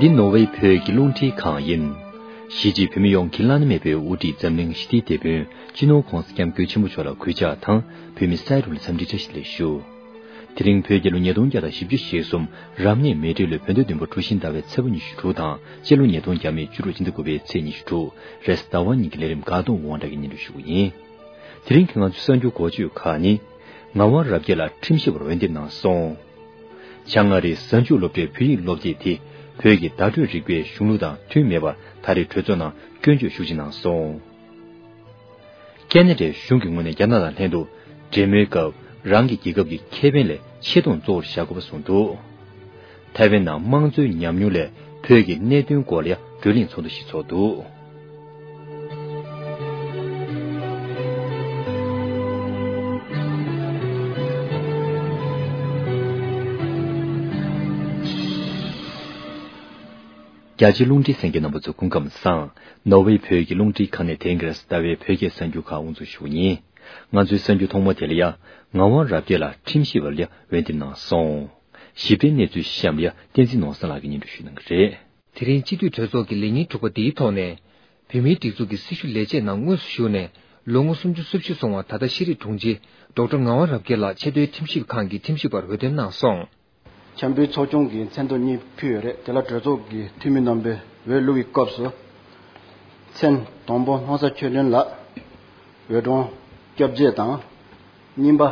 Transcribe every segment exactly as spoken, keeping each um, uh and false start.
འདི་ནོར་ཝེ་བོད་ཀྱི་རླུང་འཕྲིན་ཁང་ཡིན། གཞིས་བྱེས་བོད་མི་ཡོངས་ཀྱི་བླ་ན་མེད་པའི་དབུ་ཁྲིད་འཛམ་གླིང་ཞི་བདེའི་དེད་དཔོན་སྤྱི་ནོར་༧གོང་ས་༧སྐྱབས་མགོན་ཆེན་པོ་མཆོག་ལ་གུས་ཕྱག་དང་བོད་མི་སའི་རུ་ལ་འཚམས་འདྲི་བཀྲ་ཤིས་བདེ་ལེགས་ཞུ། དེ་རིང་བོད་རྒྱལ་ལོ་ཉིས་སྟོང་བརྒྱ་དང་བཞི་བཅུ་ཞེ་གསུམ་རབ་གནས་མེ་སྤྲེལ་ལོའི་བོད་ཟླ་བདུན་པ་གྲུ་བཞི་ཟླ་བའི་ཚེས་པ་ཉི་ཤུ་དྲུག་དང་སྤྱི་ལོ་ཉིས་སྟོང་བརྒྱ་མེད་བཅུ་དྲུག་སྤྱི་ཟླ་དགུ་པའི་ཚེས་ཉི་ཤུ་དྲུག་རེས་གཟའ་ཟླ་བ་ཉིན་གྱི་ལས་རིམ་དགའ་གདོང་དབང་གྲགས་ཀྱིས་སྙན་སྒྲོན་ཞུ་གི་ཡིན། དེ་རིང་གི་ང་ཚོའི་གསར་འགྱུར་འགོ་བརྗོད་ཁག་ནི། ངག་དབང་རབ་རྒྱས་ལགས་ཁྲིམས་ཞིབ་པར་འོས་འདེམས་གནང་སོང་། བྱང་ཨ་རིའི་གཟའ་མཇུག་སློབ་གྲྭའི་བོད་ཡིག་སློབ་དེབ་དེ་བོད་ཀྱི་བརྡ་སྤྲོད་རིག་པའི་གཞུང་ལུགས་དང་མཐུན་མེད་པར་ད་རེས་གྲོས་ཚོགས་ནང་སྐྱོན་བརྗོད་ཤུགས་ཆེ་གནང་སོང་། ཁེ་ན་ཌའི་གཞུང་གི་ངོས་ནས་རྒྱ་ནག་དང་ལྷན་དུ་འབྲེལ་མོལ་སྐབས་རང་གི་རྒྱལ་ཁབ་ཀྱི་ཁེ་ཕན་ལས་ཆེ་མཐོང་གཙོ་བོར་བཞག་དགོས་པ་གསུངས་འདུག་ཐའེ་ཝན་ནང་དམངས་གཙོའི་ཉམས་མྱོང་ལས་བོད་ཀྱི་གནད་དོན་སྐོར་ལ་ཡང་བགྲོ་གླེང་ཚོགས་འདུ་ཞིག་ཚོགས་འདུག་རྒྱ་ཆེའི་རླུང་འཕྲིན་གསན་མཁན་རྣམ་པ་ཚོ་སྐུ་ཁམས་བཟང་། ནོར་ཝེ་བོད་ཀྱི་རླུང་འཕྲིན་ཁང་ནས་དེང་གི་རེས་གཟའ་ཟླ་བའི་བོད་སྐད་གསར་འགྱུར་ཁག་དབུ་འཛུགས་ཞུ་གི་ཡིན། ང་ཚོའི་གསར་འགྱུར་ཐོག་མ་དེ་ལ་ཡང་ངག་དབང་རབ་རྒྱས་ལགས་ཁྲིམས་ཞིབ་པ་ལ་ཡང་འོས་འདེམས་གནང་སོང་། ཞིབ་ཕྲའི་གནས་ཚུལ་གཤམ་ལ་ཡང་བསྟན་འཛིན་ནོར་བཟང་ལགས་ཀྱིས་སྙན་སྒྲོན་ཞུ་གནང་གི་རེད། དེ་རིང་སྤྱི་འཐུས་གྲོས་ཚོགས་ཀྱི་ལས་ཉིན་དྲུག་པ་འདིའི་ཐོག་ནས། བོད་མིའི་སྒྲིག་འཛུགས་ཀྱི་སྲི་ཞུ་ལས་བྱེད་ནང་དངོས་སུ་ཞུགས་ནས་ལོ་ངོ་སུམ་ཅུ་སོ་བཞི་སོང་བ་ད་ལྟ་ཤེས་རིག་དྲུང་ཆེ་ཌོག་ཊར་ངག་དབང་རབ་རྒྱས་ལགས་ཆེས་མཐོའི་ཁྲིམས་ཞིབ་ཁང་གི་ཁྲིམས་ཞིབ་པར་འོས་འདེམས་གནང་སོང་། འཆམ་མཐུན་ཚོགས་ཆུང་གིས་མཚན་ཐོ་གཉིས་ཕུལ་ཡོད་རེད། དེ་ལ་གྲོས་ཚོགས་ཀྱི་འཐུས་མི་རྣམ་པས་འོས་བླུགས་ཀྱི་སྐབས་སུ། མཚན་དང་པོ་སྣང་ས་ཆོས་སྒྲོན་ལགས། འོས་གྲངས་བརྒྱད་ཅུ་དང་། གཉིས་པ།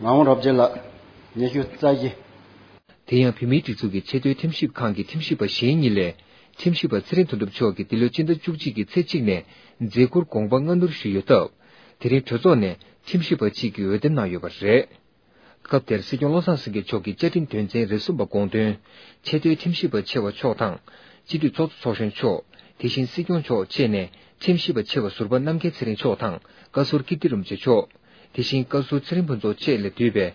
ངག་དབང་རབ་རྒྱས་ལགས། ཉི་ཤུ་རྩ་བཞི། དེ་ཡང་བོད་མིའི་སྒྲིག་འཛུགས་ཀྱི་ཆེས་མཐོའི་ཁྲིམས་ཞིབ་ཁང་གི་ཁྲིམས་ཞིབ་པ་གཞན་གཉིས་ལས། ཁྲིམས་ཞིབ་པ་ཚེ་རིང་དོན་གྲུབ་མཆོག་གིས་འདི་ལོའི་སྤྱི་ཟླ་བཅུ་གཅིག་གི་ཚེས་གཅིག་ནས་མཛད་ཁུར་དགོངས་པ་སྔ་སྣུར་ཞུས་ཡོད་སྟབས། དེ་རིང་གྲོས་ཚོགས་ནས་ཁྲིམས་ཞིབ་པ་གཅིག་གི་འོས་འདེམས་གནང་ཡོད་པ་རེད། སྐབས་དེར་སྲིད་སྐྱོང་བློ་བཟང་སེང་གེ་མཆོག་གིས་བཅའ་ཁྲིམས་དོན་ཚན་རེ་གསུམ་པ་དགོངས་དོན། ཆེས་མཐོའི་ཁྲིམས་ཞིབ་པ་ཆེ་བ་མཆོག་དང་། སྤྱི་འཐུས་ཚོགས་གཙོ་ཚོགས་གཞོན་མཆོག་དེ་བཞིན་སྲིད་སྐྱོང་མཆོག་བཅས་ནས་ཁྲིམས་ཞིབ་པ་ཆེ་བ་ཟུར་པ་རྣམ་རྒྱལ་ཚེ་རིང་མཆོག་དང་བཀའ་ཟུར་ཀིརྟི་རིན་པོ་ཆེ་མཆོག་དེ་བཞིན་བཀའ་ཟུར་ཚེ་རིང་ཕུན་ཚོགས་བཅས་ལས་འདུས་པའི་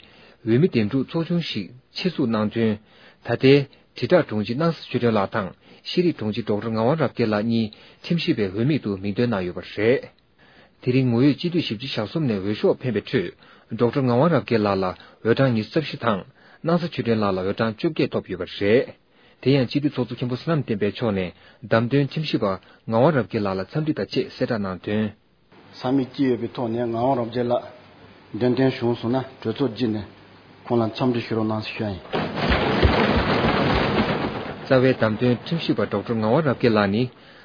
འོས་མི་འདེམས་སྒྲུག་ཚོགས་ཆུང་ཞིག་ཆེད་འཛུགས་གནང་དོན། ད་ལྟའི་དྲིལ་བསྒྲགས་དྲུང་ཆེ་སྣང་ས་ཆོས་སྒྲོན་ལགས་དང་ཤེས་རིག་དྲུང་ཆེ་ཌོག་ཊར་ངག་དབང་རབ་རྒྱས་ལགས་གཉིས་ཁྲིམས་ཞིབ་པའི་འོས་མིག་ཏུ་མིང་འདོན་གནང་ཡོད་པ་རེད། དེ་རིང་ངོ་ཡོད་སྤྱི་འཐུས་བཞི་བཅུ་ཞེ་གསུམ་ནས་འོས་ཤོག་འཕེན་པའི་ཁྲོད། ཌོག་ཊར་ངག་དབང་རབ་རྒྱས་ལགས་ལ་འོས་གྲངས་ཉི་ཤུ་རྩ་བཞི་དང་། སྣང་ས་ཆོས་སྒྲོན་ལགས་ལ་འོས་གྲངས་བཅོ་བརྒྱད་ཐོབ་ཡོད་པ་རེད། དེ་ཡང་སྤྱི་འཐུས་ཚོགས་གཙོ་མཁན་པོ་བསོད་ནམས་བསྟན་འཕེལ་མཆོག་ནས་བདམས་ཐོན་ཁྲིམས་ཞིབ་པ་ངག་དབང་རབ་རྒྱས་ལགས་ལ་འཚམས་འདྲི་དང་བཅས་གསལ་བསྒྲགས་གནང་དོན། ས་མིག་ཅི་ཡོད་པའི་ཐོག་ནས་ངག་དབང་རབ་རྒྱས་ལགས་འདེམས་ཐོན་བྱུང་སོང་ན་གྲོས་ཚོགས་བརྒྱུད་ནས་ཁོང་ལ་འཚམས་འདྲི་ཞུ་རོགས་གནང་ཞུ་ཡ་ཡིན། རྩ་བའི་བདམས་ཐོན་ཁྲིམས་ཞིབ་པ་ཌོག་ཊར་ངག་དབང་རབ་རྒྱས་ལགས་ནི་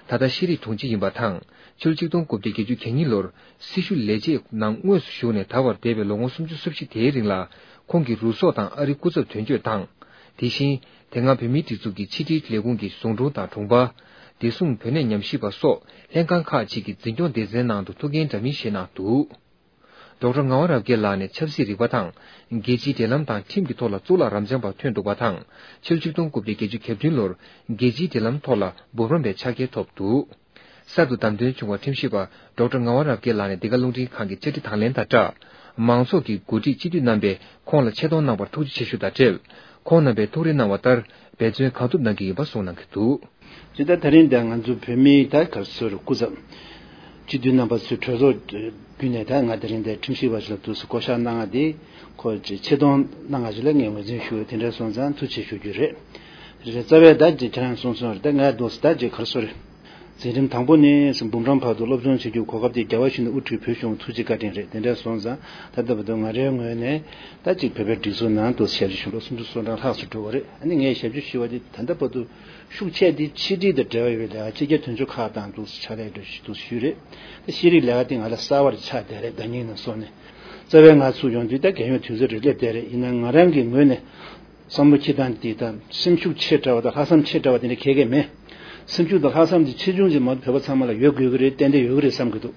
ད་ལྟ་ཤེས་རིག་དྲུང་ཆེ་ཡིན་པ་དང་། ཕྱི་ལོ་ཆིག་སྟོང་དགུ་བརྒྱ་བརྒྱད་ཅུ་གྱ་གཉིས་ལོར་སྲི་ཞུ་ལས་བྱེད་ནང་དངོས་སུ་ཞུགས་ནས་ད་བར་འདས་པའི་ལོ་ངོ་སུམ་ཅུ་སོ་བཞི་དེའི་རིང་ལ་ཁོང་གིས་རུ་སོག་དང་ཨ་རིའི་སྐུ་ཚབ་དོན་གཅོད་དང་། དེ་བཞིན་དེ་སྔ་བོད་མིའི་སྒྲིག་འཛུགས་ཀྱི་ཕྱི་དྲིལ་ལས་ཁུངས་ཀྱི་ཟུང་དྲུང་དང་དྲུང་འཕར། བདེ་སྲུང་བོད་གནས་ཉམས་ཞིབ་པ་སོགས་ལྷན་ཁང་ཁག་ཅིག་གི་འཛིན་སྐྱོང་སྡེ་ཚན་ནང་དུ་ཐུགས་འགན་འདྲ་མིན་བཞེས་གནང་འདུག་ཌོག་ཊར་ངག་དབང་རབ་རྒྱས་ལགས་ནས་ཆབ་སྲིད་རིག་པ་དང་། རྒྱལ་སྤྱིའི་འབྲེལ་ལམ་དང་ཁྲིམས་ཀྱི་ཐོག་ལ་གཙུག་ལག་རབ་འབྱམས་པ་ཐོན་འདུག་པ་དང་། ཕྱི་ལོ་ཆིག་སྟོང་དགུ་བརྒྱ་བརྒྱད་ཅུ་གྱ་བདུན་ལོར་རྒྱལ་སྤྱིའི་འབྲེལ་ལམ་ཐོག་ལ་འབུམ་རམས་པའི་ཕྱག་འཁྱེར་ཐོབ་འདུག་གསར་དུ་བདམས་ཐོན་བྱུང་བ་ཁྲིམས་ཞིབ་པ་ཌོག་ཊར་ངག་དབང་རབ་རྒྱས་ལགས་ནས་འདི་ག་རླུང་འཕྲིན་ཁང་གི་བཅར་འདྲི་དང་ལེན་དང་སྦྲགས། མང་ཚོགས་ཀྱི་འགོ་ཁྲིད་སྤྱི་འཐུས་རྣམ་པས་ཁོང་ལ་ཆེ་མཐོང་གནང་བར་ཐུགས་རྗེ་ཆེ་ཞུ་དང་འབྲེལ། ཁོང་རྣམ་པས་ཐུགས་རེ་གནང་བ་ལྟར་འབད་བརྩོན་གང་ཐུབ་གནང་གི་ཡིན་པ་གསུངས་གནང་གི་འདུག་ཇི་ལྟར་ད་རིང་འདིར་ང་ཚོ་བོད་མིའི་ད་ག་རེ་ཟེར་སྐུ་ཚབ། སྤྱི་འཐུས་རྣམ་པ་ཚོའི་གྲོས་ཚོགས་བརྒྱུད་ནས་ད་ང་དེ་རིང་འདིར་ཁྲིམས་ཞིབ་པ་ཞིག་ལ་འདུག་སེ་བསྐོ་བཞག་གནང་བ་འདི་ཁོ་ཆེ་མཐོང་གནང་བ་ཞིག་ལ་ངས་ངོས་འཛིན་ཞུ། དེ་འདྲ་སོང་ཙང་ཐུགས་རྗེ་ཆེ་ཞུ་རྒྱུ་རེད། རེད། རྩ་བའི་ད་ཅིག་ཁྱེད་རང་གསུངས་སོང་རེད། ད་ང་འདུག་སེ་ད་ཅིག་ག་རེ་ཟེར། འཛིན་རིམ་དང་པོ་ནས་འབུམ་རམས་བར་དུ་སློབ་སྦྱོང་བྱེད་རྒྱུའི་གོ་སྐབས་དེ་རྒྱལ་བ་ཡིད་བཞིན་དབུ་ཁྲིད་བོད་གཞུང་ཐུགས་རྗེ་བཀའ་དྲིན་རེད། དེ་འདྲ་སོང་ཙང་ད་ལྟ་བར་དུ་ང་རའི་ངོས་ནས་ད་ཅིག་བོད་པའི་སྒྲིག་འཛུགས་ནང་དུ་ཞབས་ཕྱི་ཞུ་ལོ་སུམ་ཅུ་སོ་གྲངས་ལྷག་ཙམ་འགྲོ་བ་རེད། ཨ་ནི་ངས་ཞབས་ཕྱི་ཞུ་བ་དེ་ད་ལྟ་བར་དུ་ཤུགས་ཆེ་དེ་ཕྱི་དྲིལ་དང་འབྲེལ་བ་ཡོད་པའི་ལས་ཀ་ཕྱི་རྒྱལ་དོན་གཅོད་ཁག་དང་འདུག་སེ་ཕྱག་ལས་འགྲོ་བཞིན་འདུག་ཞུས་རེད། ད་ཤེས་རིག་ལས་ཀ་དེ་ང་ལ་གསར་བ་རེ་ཆགས་བསྡད་རེད། ཟླ་ཉིན་ནས་བཟུང་ནས་རྩ་བའི་ང་ཚུར་ཡོང་དུས་ད་རྒས་ཡོལ་དུས་ཚོད་རེ་སླེབས་བསྡད་རེད། ཡིན་ན་ང་རང་གི་ངོས་ནས། བསམ་བློ་འཁྱེར་སྟངས་འདི་དང་སེམས་ཤུགས་ཆེ་དྲགས་པ་དང་ལྷག་བསམ་ཆེ་དྲགས་པ་དེ་འདྲ་གང་ཡང་མེད། སེམས་ཤུགས་དང་ལྷག་བསམ་འདི་ཆེ་ཆུང་ཅིག་མ་གཏོགས་བོད་པ་ཚང་མ་ལ་ཡོད་དགོས་ཀྱི་རེད། ཏན་ཏན་ཡོད་ཀྱི་རེད་བསམ་གྱི་འདུག་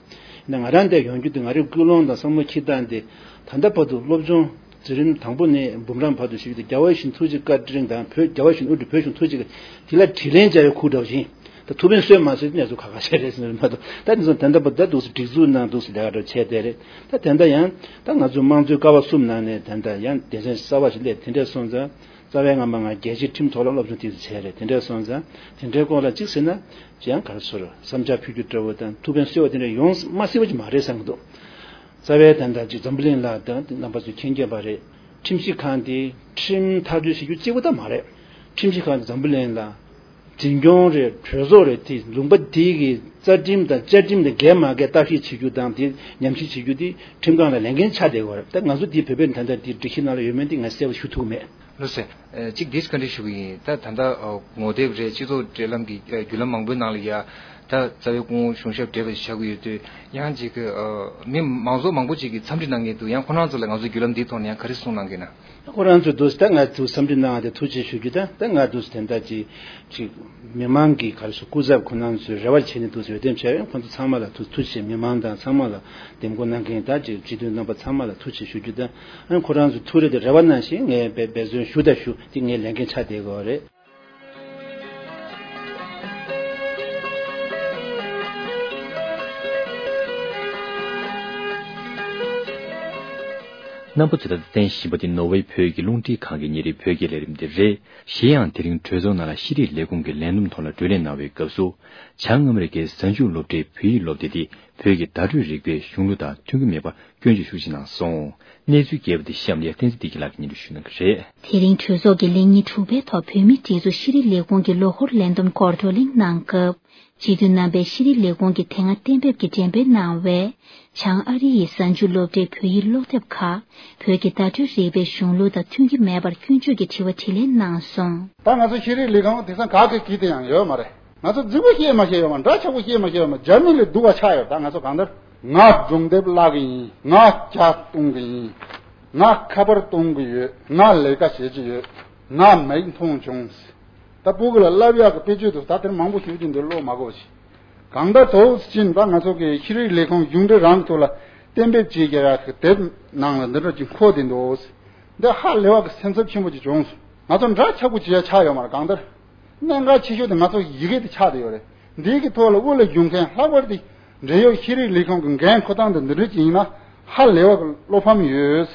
ཡིན་ན་ང་རང་འདིར་ཡོང་རྒྱུ་དེ་ང་རའི་ཀུན་སློང་དང་བསམ་བློ་འཁྱེར་སྟངས་འདི་ད་ལྟ་བར་དུ་སློབ་སྦྱོང་འཛིན་རིམ་དང་པོ་ནས་འབུམ་རམས་བར་དུ་ཞུས་ཏེ་རྒྱལ་བ་ཡིད་བཞིན་ཐུགས་རྗེ་བཀའ་དྲིན་དང་བོད་རྒྱལ་བ་ཡིད་བཞིན་དབུ་ཁྲིད་བོད་གཞུང་ཐུགས་རྗེ་དེ་ལ་དྲིན་ལན་འཇལ་བའི་ཁུར་འདྲ་བ་ཞིག་ད་ཐུགས་ཕན་གསོས་མ་གསོས་དེ་གནས་ཚུལ་ཁ་ཁ་ཤས་རེད་ཟེར་ནས་མ་གཏོགས། ད་དེ་ཚོ་ད་ལྟ་བར་ད་འདུག་སེ་སྒྲིག་འཛུགས་ནང་འདུག་སེ་ལས་ཀ་འདྲ་བྱས་བསྡད་རེད། ད་དེ་འདྲ་ཡང་ད་ང་ཚོའི་དམངས་གཙོའི་ཀ་བ་གསུམ་ནང་ནས་ད་ལྟ་ཡང་སྡེ་ཚན་གསར་བ་ཞིག་སླེབས། དེ་འདྲ་སོང་ཙང་རྩ་བའི་ང་མ་ང་རྒྱལ་སྤྱིའི་ཁྲིམས་ཐོག་ལ་སློབ་སྦྱོང་ཏོག་ཙམ་བྱས་རེད། དེ་འདྲ་སོང་ཙང་དེ་འདྲའི་སྐོར་ལ་གཅིག་ཟེར་ན་ཡང་ག་རེ་ཟེར་བསམ་འཆར་ཕུལ་རྒྱུ་འདྲ་བོ་དང་ཐུགས་ཕན་གསོས་པ་དེ་འདྲ་ཡོང་མ་སྲིད་པ་ཅིག་མ་རེད་བསམ་གྱི་འདུག་རྩ་བའི་ད་ལྟ་ཅིག་འཛམ་བུ་གླིང་ལ་ད་རྣམ་པ་ཚོས་མཁྱེན་མཁྱེན་པ་རེད། ཁྲིམས་ཞིབ་ཁང་དེ་ཁྲིམས་ཐག་གཅོད་བྱེད་རྒྱུ་གཅིག་པུ་ད་མ་རེད། ཁྲིམས་ཞིབ་ཁང་དེ་འཛམ་བུ་གླིང་ལ། འཛིན་སྐྱོང་རེད། གྲོས་ཚོགས་རེད། དེ་ལུང་པ་དེ་གི་རྩ་ཁྲིམས་དང་བཅའ་ཁྲིམས་དང་འགལ་མ་འགལ་བརྟག་ཞིབ་བྱེད་རྒྱུ་དང་དེ་ཉམས་ཞིབ་བྱེད་རྒྱུ་དེ་ཁྲིམས་ཁང་ལ་ལས་འགན་ཆགས་བསྡད་ཡོད་རེད། ད་ང་ཚོ་དེ་བོད་པའི་ད་ལྟ་དེ་སྒྲིག་གཞི་ནང་ལ་ཡོད་མེད་དེ་ང་གསལ་པོ་ཞུ་ཐུབ་མེད། ལགས་སོ། ཨ་གཅིག་འདི་བཀའ་འདྲི་ཞུ་གི་ཡིན། ད་ད་ལྟ་ཨ་ངོ་དེབ་རེད། སྤྱི་ཚོགས་འབྲེལ་ལམ་གྱི་ཨ་བརྒྱུད་ལམ་མང་པོའི་ནང་ལ་ཡ་ད་རྩ་བའི་སྐུ་ངོ་གཞུང་ཞབས་བགྲེས་པ་ཞིག་ཆགས་ཀྱི་ཡོད་དུས། ཡང་ཅིག་གི་ཨ་མི་མང་ཚོགས་མང་པོ་ཅིག་གིས་འཚམས་འདྲི་གནང་མཁན་འདུག་ཡང་ཁོ་རང་ཚོ་ལ་ང་ཚོའི་བརྒྱུད་ལམ་འདིའི་ཐོག་ནས་ཡང་ག་རེ་གསུངས་གནང་གི་ན། ཁོ་རང་ཚོས་འདུག་ད་ང་ཚོ་འཚམས་འདྲི་གནང་བ་དེ་ཐུགས་རྗེ་ཆེ་ཞུ་རྒྱུ་དང་། ད་ང་འདུག་དེ་འདྲ་ཅིག་ཅིག་མི་མང་གི་ག་རེ་ཟེར། སྐུ་ཚབ་ཁོ་རང་ཚོས་རེ་བ་བྱས་ནས་འདུག་ཟེར་འོས་འདེམས་བྱས་ཡོད། ཁོ་ཚོ་ཚང་མ་ལ་ཐུགས་ཐུགས་རྗེ་ཆེ། མི་མང་དང་ཚང་མ་ལ་འདེམས་བསྐོ་གནང་མཁན་ད་ཅིག་སྤྱི་འཐུས་རྣམ་པ་ཚང་མ་ལ་ཐུགས་རྗེ་ཆེ་ཞུ་རྒྱུ་དང་། ཨ་ཁོ་རང་ཚོ་ཐུགས་རེ་དེ་རེ་བ་གནང་བཞིན་ངས་འབད་འབད་བརྩོན་ཞུ་དང་ཞུ། དེ་ངའི་ལས་འགན་ཆགས་བསྡད་ཡོད་རེད། རྣམ་པ་ཚོས་ད་ལྟ་གསན་བཞིན་པ་དེ་ནོར་ཝེ་བོད་ཀྱི་རླུང་འཕྲིན་ཁང་གི་ཉིན་རེའི་བོད་སྐད་ལས་རིམ་དེ་རེད། གཞན་ཡང་དེ་རིང་གྲོས་ཚོགས་ནང་ལ་ཤེས་རིག་ལས་ཁུངས་ཀྱི་ལས་བསྡོམས་ཐོག་ལ་བགྲོ་གླེང་གནང་བའི་སྐབས་སུ། བྱང་ཨ་མི་རི་ཀའི་གཟའ་མཇུག་སློབ་གྲྭའི་བོད་ཡིག་སློབ་དེབ་དེ་བོད་ཀྱི་བརྡ་སྤྲོད་རིག་པའི་གཞུང་ལུགས་དང་མཐུན་གྱི་མེད་པར་སྐྱོན་བརྗོད་ཤུགས་ཆེ་གནང་སོང་། གནས་ཚུལ་རྒྱས་པ་དེ་གཤམ་ལ་བསྟན་འཛིན་བདེ་སྐྱིད་ལགས་ཀྱིས་སྙན་སྒྲོན་ཞུ་གནང་གི་རེད། དེ་རིང་གྲོས་ཚོགས་ཀྱི་ལས་ཉིན་དྲུག་པའི་ཐོག་བོད་མིའི་སྒྲིག་འཛུགས་ཤེས་རིག་ལས་ཁུངས་ཀྱི་ལོ་འཁོར་ལས་བསྡོམས་སྐོར་བགྲོ་གླེང་གནང་སྐབས། སྤྱི་འཐུས་རྣམ་པས་ཤེས་རིག་ལས་ཁུངས་ཀྱིས་དེ་སྔ་གཏན་འབེབས་ཀྱི་འགྲེམས་སྤེལ་གནང་བའི་བྱང་ཨ་རི་ཡི་གཟའ་མཇུག་སློབ་གྲྭའི་བོད་ཡིག་ཀློག་དེབ་ཁག་བོད་ཀྱི་བརྡ་སྤྲོད་རིག་པའི་གཞུང་ལུགས་དང་མཐུན་གྱི་མེད་པར་སྐྱོན་བརྗོད་ཀྱི་དྲི་བ་དྲིས་ལན་གནང་སོང་། ད་ང་ཚོ་ཤེས་རིག་ལས་ཁུངས་དེང་སང་ག་གེ་གིས་དེ་ཡང་ཡོད་མ་རེད། ང་ཚོ་རྫིག་པོ་བཤད་མ་ཤེས་ཡོད་མ། འདྲ་ཆགས་པོ་བཤད་མ་ཤེས་ཡོད་མ། རྒྱ་མི་ལས་སྡུག་པ་ཆགས་ཡོད། ད་ང་ཚོ་གང་ལྟར་ང་སྒྲུང་དེབ་བཀླག་གི་ཡིན། ང་ཇ་བཏུང་གི་ཡིན། ང་ཁ་པར་གཏོང་གི་ཡོད། ང་ལས་ཀ་བྱེད་ཀྱི་ཡོད། ང་མིག་མཐོང་བྱུང་། ད་སྤུ་གུ་ལ་བསླབ་ཡག་གི་དཔེ་ཆ་འདུག་ད་དེར་མང་པོ་ཞུ་རྒྱུ་འདུག་བློ་མ་འགོག་ཞིག་གང་ལྟར་དོགས་ཕྱིན་པ། ང་ཚོ་གི་ཤེས་རིག་ལས་ཁུངས་གཞུང་འབྲེལ་རང་ཐོག་ལ་གཏན་འབེབས་བྱེད་ཀྱི་ཡག་གི་དེབ་ནང་ལ་འདི་འདྲ་ཅིག་འཁོད་དེ་འདུག་འདི་ཧ་ལས་པ་གི་སེམས་འཚབ་ཆེན་པོ་ཅིག་བྱུང་སོང་། ང་ཚོ་འདྲ་ཆགས་པོ་བྱེད་ཡ་ཆགས་ཡོད་མ་རེད། གང་ལྟར་གནད་འགག་ཆེ་ཤོས་དེ་ང་ཚོ་ཡི་གེ་དེ་ཆགས་བསྡད་ཡོད་རེད། འདི་གི་ཐོག་ལ་དབུ་ལ་བཞུགས་མཁན་ལྷག་པར་དུ་འབྲེལ་ཡོད་ཤེས་རིག་ལས་ཁུངས་ཀྱི་འགན་འཁུར་སྟངས་དེ་འདི་འདྲ་ཅིག་ཡིན་ན་ཧ་ལས་པ་གི་བློ་ཕམ་ཡོད།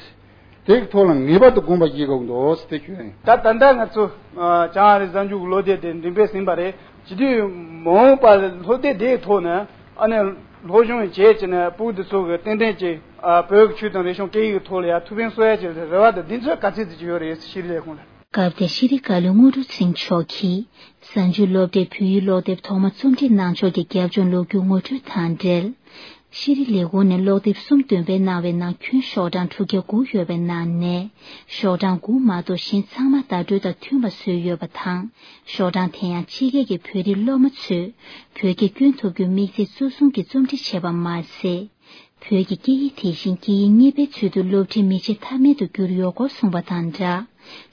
དེ་གི་ཐོག་ལ་ངེས་པར་དུ་དགོངས་པ་བཞེས་དགོས་འདུག་ཟེར་དེ་ཞུ་ཡ་ཡིན། ད་ད་ལྟ་ང་ཚོ་ཨ་བྱང་ཨ་རི་གཟའ་མཇུག་གི་སློབ་དེབ་དེ་འགྲེམས་སྤེལ་ཟིན་པ་རེད། བྱེད་དུས་མ་འོངས་པ་ལ་སློབ་དེབ་དེའི་ཐོག་ནས་ཨ་ནི་སློབ་སྦྱོང་བྱས་བྱས་ནས་སྤུ་གུ་དེ་ཚོ་གི་ཏན་ཏན་ཅིག་ཨ་བོད་ཀྱི་ཆོས་དང་རིག་གཞུང་སྐད་ཡིག་གི་ཐོག་ལ་ཡང་ཐུགས་ཕན་གསོ་ཡ་ཅིག་རེ་བ་དང་གདེང་ཚོད་ག་ཚད་ཅིག་ཡོད་རེད་ཤེས་རིག་ལས་ཁུངས་ལ། སྐབས་དེར་ཤེས་རིག་བཀའ་བློན་དངོས་གྲུབ་ཚེ་རིང་མཆོག་གིས་གཟའ་མཇུག་སློབ་གྲྭའི་བོད་ཡིག་ཀློག་དེབ་ཐོག་མ་རྩོམ་སྒྲིག་གནང་ཕྱོགས་ཀྱི་རྒྱབ་ལྗོངས་ལོ་རྒྱུས་ངོ་སྤྲོད་དང་འབྲེལ། ཤེས་རིག་ལས་ཁུངས་ནས་ཀློག་དེབ་གསུམ་འདོན་སྤེལ་གནང་བའི་ནང་ཁྱོན་ཤོག་གྲངས་དྲུག་བརྒྱ་དགུ་ཡོད་པའི་ནང་ནས་ཤོག་གྲངས་དགུ་མ་གཏོགས་གཞན་ཚང་མ་བརྡ་སྤྲོད་དང་མཐུན་པ་བཟོས་ཡོད་པ་དང་། ཤོག་གྲངས་དེ་ཡང་ཕྱི་རྒྱལ་གྱི་བོད་རིགས་སློབ་མ་ཚོས་བོད་སྐད་སྐྱོན་ཐུབ་རྒྱུའི་དམིགས་ཚད་གཙོ་བཟུང་གིས་རྩོམ་སྒྲིག་བྱས་པ་མ་ཟད། བོད་ཀྱི་སྐད་ཡིག་དེ་བཞིན་སྐད་ཡིག་གཉིས་པའི་ཚུལ་དུ་སློབ་ཁྲིད་མི་བྱེད་ཐབས་མེད་དུ་གྱུར་ཡོད་སྐོར་གསུངས་པ་དང་སྦྲགས།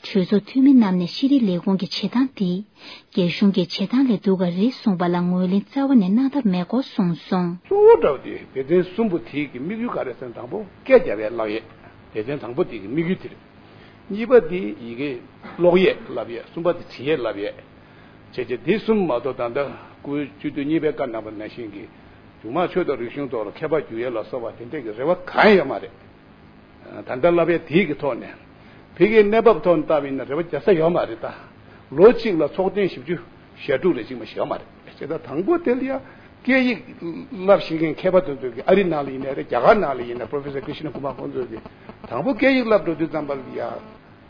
གྲོས་ཚོགས་འཐུས་མི་རྣམས་ནས་ཤེས་རིག་ལས་ཁུངས་ཀྱི་བྱེད་སྟངས་འདི་རྒྱ་གཞུང་གི་བྱེད་སྟངས་ལས་སྡུག་ག་རེད་གསུངས་པ་ལ་ངོས་ལེན་རྩ་བ་ནས་གནང་ཐབས་མེད་སྐོར་གསུངས་སོང་། གཙོ་བོ་འདྲ་བོ་དེ་སྡེ་ཚན་གསུམ་པོ་དེ་གི་དམིགས་ཡུལ་ག་རེ་ཟེར་ན། དང་པོ་སྐད་རྒྱབ་པའི་བསླབ་ཡས། སྡེ་ཚན་དང་པོ་དེ་གི་དམིགས་ཡུལ་དེ་རེད། གཉིས་པ་དེ་ཡི་གེ་ཀློག་ཡས་བསླབ་ཡས། གསུམ་པ་དེ་འབྲི་ཡས་བསླབ་ཡས། བྱས་རྗེས་དེ་གསུམ་མ་གཏོགས་ད་ལྟ་སྐུའི་སྤྱི་འཐུས་གཉིས་པའི་བཀའ་གནང་བ་ནང་བཞིན་གྱི་གཞུང་མང་ཆོས་དང་རིག་གཞུང་ཐོག་ལ་མཁས་པ་འགྱུར་ཡས་ལ་སོགས་པ་དེ་འདྲས་ཀྱི་རེ་བ་གང་ཡང་ཡོད་མ་རེད། ད་ལྟ་བསླབ་ཡས་དེའི་གི་ཐོག་ནས་ཕ་གིའི་གནས་བབ་ཐོག་ནས་བལྟས་པ་ཡིན་ན་རེ་བ་རྒྱག་ས་ཡོད་མ་རེད། ད་ལོ་གཅིག་ལ་ཚོགས་ཐེངས་བཞི་བཅུ་ཞེ་དྲུག་རེ་གཅིག་མ་ཞིག་ཡོད་མ་རེད། བྱས་ཙང་དང་པོ་དེ་ལ་ཡ་སྐད་ཡིག་བསླབ་ཤེས་མཁན་མཁས་པ་དེ་ཚོ་གི་ཨ་རི་ནང་ལ་ཡིན་ནའི་རེད། རྒྱ་གར་ནང་ལ་ཡིན་ནའི་པོ་རོ་ཕེ་སར་ཀི་རི་ཤི་ན་ཀུ་མར་ཁོང་ཚོ་གི་དང་པོ་སྐད་ཡིག་བསླབ་འགྲོ་དུས་ཙམ་པ་ལ་ཡ་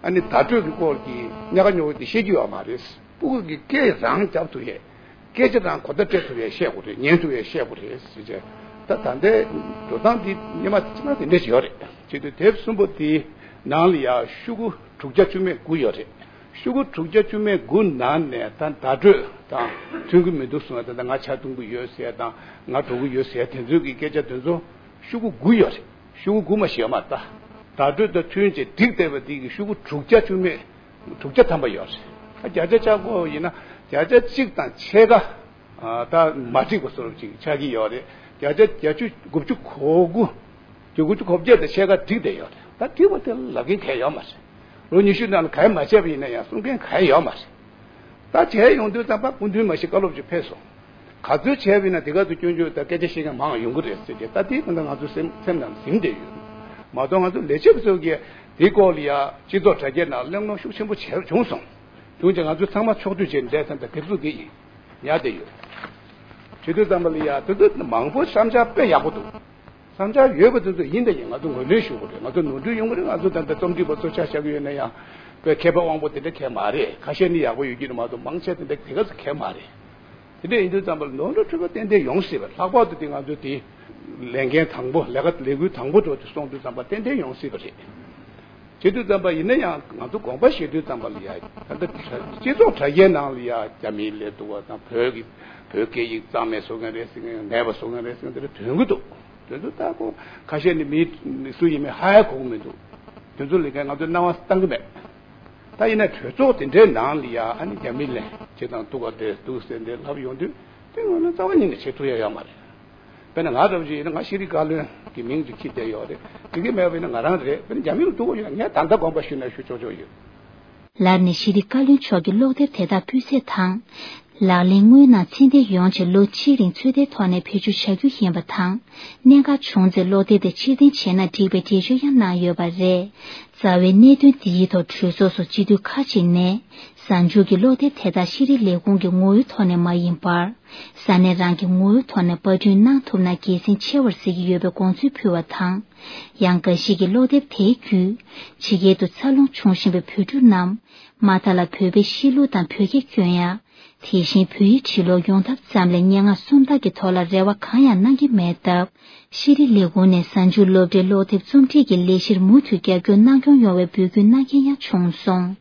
ཨ་ནི་བརྡ་སྤྲོད་ཀྱི་སྐོར་གྱི་ཉག་ག་ཉོག་ག་དེ་བཤད་རྒྱུ་ཡོད་མ་རེད། སྤུ་གུ་གི་སྐད་རང་རྒྱབ་ཐུབ་ཡས། སྐད་ཆ་རང་གོ་བརྡ་སྤྲད་ཐུབ་ཡས་བཤད་དགོས་རེད། ཉན་ཐུབ་ཡས་བཤད་དགོས་རེད་ཟེར་བྱས། ད་ད་ལྟའི་འགྲོ་སྟངས་འདི་སྔོན་མ་ཅི་མ་དེ་འདྲ་ཞིག་ཡོད་རེད། བྱས་དུས་དེབ་གསུམ་པོ་དེའི་ནང་ལ་ཡ་ཤོག་གུ་དྲུག་བརྒྱ་བཅུ་མེད་དགུ་ཡོད་རེད། ཤོག་གུ་དྲུག་བརྒྱ་བཅུ་མེད་དགུ་ནང་ནས་ད་བརྡ་སྤྲོད་དང་མཐུན་གྱི་མི་འདུག་གསུངས་ཡ། ད་ལྟ་ང་ཇ་འཐུང་གི་ཡོད་ཟེར་ཡ་དང་ང་འགྲོ་གི་ཡོད་ཟེར་ཡ་དེ་ཚོའི་གི་སྐད་ཆ་དེ་ཚོ་ཤོག་གུ་དགུ་ཡོད་རེད། ཤོག་གུ་དགུ་མ་ཞིག་ཡོད་མ་རེད། ད་བརྡ་སྤྲོད་དང་མཐུན་བྱས་བསྒྲིགས་བསྡད་པ་དེ་གི་ཤོག་གུ་དྲུག་བརྒྱ་བཅུ་མེད། དྲུག་བརྒྱ་ཐམ་པ་ཡོད་རེད། བརྒྱ་ཆ་ཆ་བགོས་ཡིན་ན་བརྒྱ་ཆ་གཅིག་དང་ཕྱེད་ཀ་ད་མ་འགྲིག་པ་བཟོ་འདྲ་ཅིག་ཆགས་ཀྱི་ཡོད་རེད། བརྒྱ་ཆ་བརྒྱད་ཅུ་དགུ་བཅུ་གོ་དགུ། དགུ་བཅུ་གོ་བརྒྱད་དང་ཕྱེད་ཀ་འགྲིག་བསྡད་ཡོད་རེད། ད་འགྲིག་པ་དེ་ལབ་མཁན་གང་ཡང་ཡོད་མ་རེད། ལོ་ཉི་ཤུ་ནང་ལ་གང་ཡང་མ་བྱས་པ་ཡིན་ན་ཡང་གསུང་མཁན་གང་ཡང་ཡོད་མ་རེད། ད་བྱས་ཡོང་དུས་ཙམ་པ་སྐུ་མདུན་མ་གཞི་བཀའ་སློབ་ཅིག་ཕེབས་སོང་། ག་ཚོད་བྱས་པ་ཡིན་ན་དེ་ག་ཚོད་སྐྱོན་བརྗོད་དང་སྐད་ཆ་བཤད་མཁན་མང་ཡོང་གི་རེད་ཟེར་ཏེ། ད་དེ་གང་ལྟར་ང་ཚོ་སེམས་སེམས་ནང་ཟིན་བསྡད་ཡོད་མ་གཏོགས། ང་ཚོ་ལས་བྱེད་པ་ཚོ་གིས་དེའི་སྐོར་ལ་ཡ་སྤྱི་ཚོགས་དྲ་རྒྱའི་ནང་གླེང་སློང་ཤུགས་ཆེན་པོ་བྱས་བྱུང་སོང་། བྱུང་རྗེས་ང་ཚོ་ཚང་མ་ཕྱོགས་བསྡུས་བྱས་ནས་བསྡད་ཙང་ད་དེབ་གཟུགས་འདི་ཡིན་ཉར་བསྡད་ཡོད། བྱེད་དུས་ཙམ་པ་ལ་ཡ་དེ་ཚོ་མང་པོ་བཤམས་ཆ་དཔེ་ཡག་པོ་འདུག་བསམ་འཆར་ཡོད་པ་དེ་ཚོ་ཡིན་དང་ཡིན། ང་ཚོ་ངོས་ལེན་ཞུ་དགོས་རེད། ང་ཚོ་ནོར་འཁྲུལ་ཡོང་གི་རེད། ང་ཚོ་ད་ལྟ་རྩོམ་སྒྲིག་པ་ཚོ་ཆ་བཞག་གི་ཡོད་ན་ཡང་དཔེ་མཁས་པ་དབང་པོ་དེ་འདྲ་གང་མ་རེད། ཁ་ཤས་ནི་ཡག་པོ་ཡོད་ཀྱི་རེད་མ་གཏོགས་མང་ཆེ་དེ་འདྲ་དེ་ག་ཚོད་གང་མ་རེད། དེ་འདྲ་ཡིན་དུས་ཙམ་པ་ལ་ནོར་འཁྲུལ་འཁྲུལ་པ་ཏན་ཏན་ཡོང་སྲིད་པ། ལྷག་པར་དུ་དེ་ང་ཚོ་དེ་ལས་འགན་དང་པོ་ལས་ཀ་ལས་འགུལ་དང་པོ་འགྲོ་དུས་སོང་དུས་ཙམ་པ་ཏན་ཏན་ཡོང་སྲིད་པ་རེད། བྱེད་དུས་ཙམ་པ་ཡིན་ན་ཡང་ང་ཚོ་དགོངས་པ་བཞེས་དུས་ཙམ་པ་ལ་ཡ་ད་ལྟ་སྤྱི་ཚོགས་དྲ་རྒྱའི་ནང་ལ་ཡ་རྒྱ་མིའི་ལས་འདུག་པ་དང་བོད་ཀྱི་བོད་སྐད་ཡིག་གཙང་མ་བཟོ་མཁན་རེད་ཟེར་མཁན་མེད་པ་བཟོ་མཁན་རེད་ཟེར་མཁན་དེ་འདྲ་ཐོན་གྱི་འདུག་དེ་ཚོ་ལྟ་སྐོར་ཁ་ཤས་ནི་མི་སུ་ཡིན་མིན་ཧ་ཡ་གོ་གི་མི་འདུག་དེ་ཚོ་ལས་ཀ་ང་ཚོ་སྣང་བ་བཏང་གི་མེད། ད་ཡིན་ན་གྲོས་ཚོགས་དེ་འདྲའི་ནང་ལ་ཡ་ཨ་ནི་རྒྱ་མི་ལས་བྱེད་དང་ཐུག་ག་དེ་འདུག་ཟེར་འདི་ལབ་ཡོང་དུས་དེ་ངོས་ནས་རྩ་བ་ཉིད་ནས་བྱེད་ཐུབ་ཡ་ཡོད་མ་རེད། དཔེར་ན་ང་འདྲ་བོ་ཞིག་ཡིན་ན་ང་ཤེས་རིག་བཀའ་བློན་གྱི་མིང་དུ་ཁྱེར་བསྡད་ཡོད་རེད། དེ་གི་མེད་པ་ཡིན་ན་ང་རང་རེད། དཔེར་ན་རྒྱ་མི་ལ་ཐུག་ག་ཡོད་ན་ངས་ད་ལྟ་དགོངས་པ་ཞུས་ན་ཞུ་ཆོག་ཆོག་ཡོད། ལར་ནས་ཤེས་རིག་བཀའ་བློན་མཆོག་གིས་ཀློག་དེབ་དེ་དག་སྤུས་ཚད་དང་། ལག་ལེན་དངོས་ནང་ཚད་ལྡན་ཡོང་ཆེད་ལོ་གཅིག་རིང་ཚོད་ལྟའི་ཐོག་ནས་བེད་སྤྱོད་བྱ་རྒྱུ་ཡིན་པ་དང་། གནད་འགག་བྱུང་ཚེ་ཀློག་དེབ་དེ་ཕྱིར་འཐེན་བྱས་ན་འགྲིག་པའི་འགྲེལ་བརྗོད་ཡང་གནང་ཡོད་པ་རེད། རྩ་བའི་གནད་དོན་འདིའི་ཐོག་གྲོས་ཚོགས་སུ་སྤྱི་འཐུས་ཁག་ཅིག་ནས། གཟའ་མཇུག་གི་ཀློག་དེབ་དེ་དག་ཤེས་རིག་ལས་ཁུངས་ཀྱི་ངོ་བོའི་ཐོག་ནས་མ་ཡིན་པར། ས་གནས་རང་གི་ངོ་བོའི་ཐོག་ནས་པར་སྐྲུན་གནང་ཐུབ་ན་དགེ་མཚན་ཆེ་བར་གཟིགས་ཀྱི་ཡོད་པའི་དགོངས་ཚུལ་ཕུལ་བ་དང་། ཡང་འགའ་ཞིག་གིས་ཀློག་དེབ་དེའི་བརྒྱུད། ཕྱི་རྒྱལ་དུ་འཚར་ལོངས་བྱུང་བཞིན་པའི་བོད་ཕྲུག་རྣམས། མ་མཐའ་ལ་བོད་པའི་གཤིས་ལུགས་དང་བོད་སྐད་སྐྱོན་ཡ། དེ་བཞིན་བོད་ཡིག་འབྲི་ཀློག་ཡོང་ཐབས་ཙམ་ལས་སྙན་ངག་སུམ་རྟགས་ཀྱི་ཐོག་ལ་རེ་བ་གང་ཡང་གནང་གི་མེད་སྟབས། ཤེས་རིག་ལས་ཁུངས་ནས་གཟའ་མཇུག་སློབ་གྲྭའི་ཀློག་དེབ་རྩོམ་སྒྲིག་གི་ལས་གཞིར་མུ་མཐུད་རྒྱབ་སྐྱོར་གནང་སྐྱོང་ཡོང་བའི་འབོད་སྐུལ་གནང་མཁན་ཡང་བྱུང་སོང་།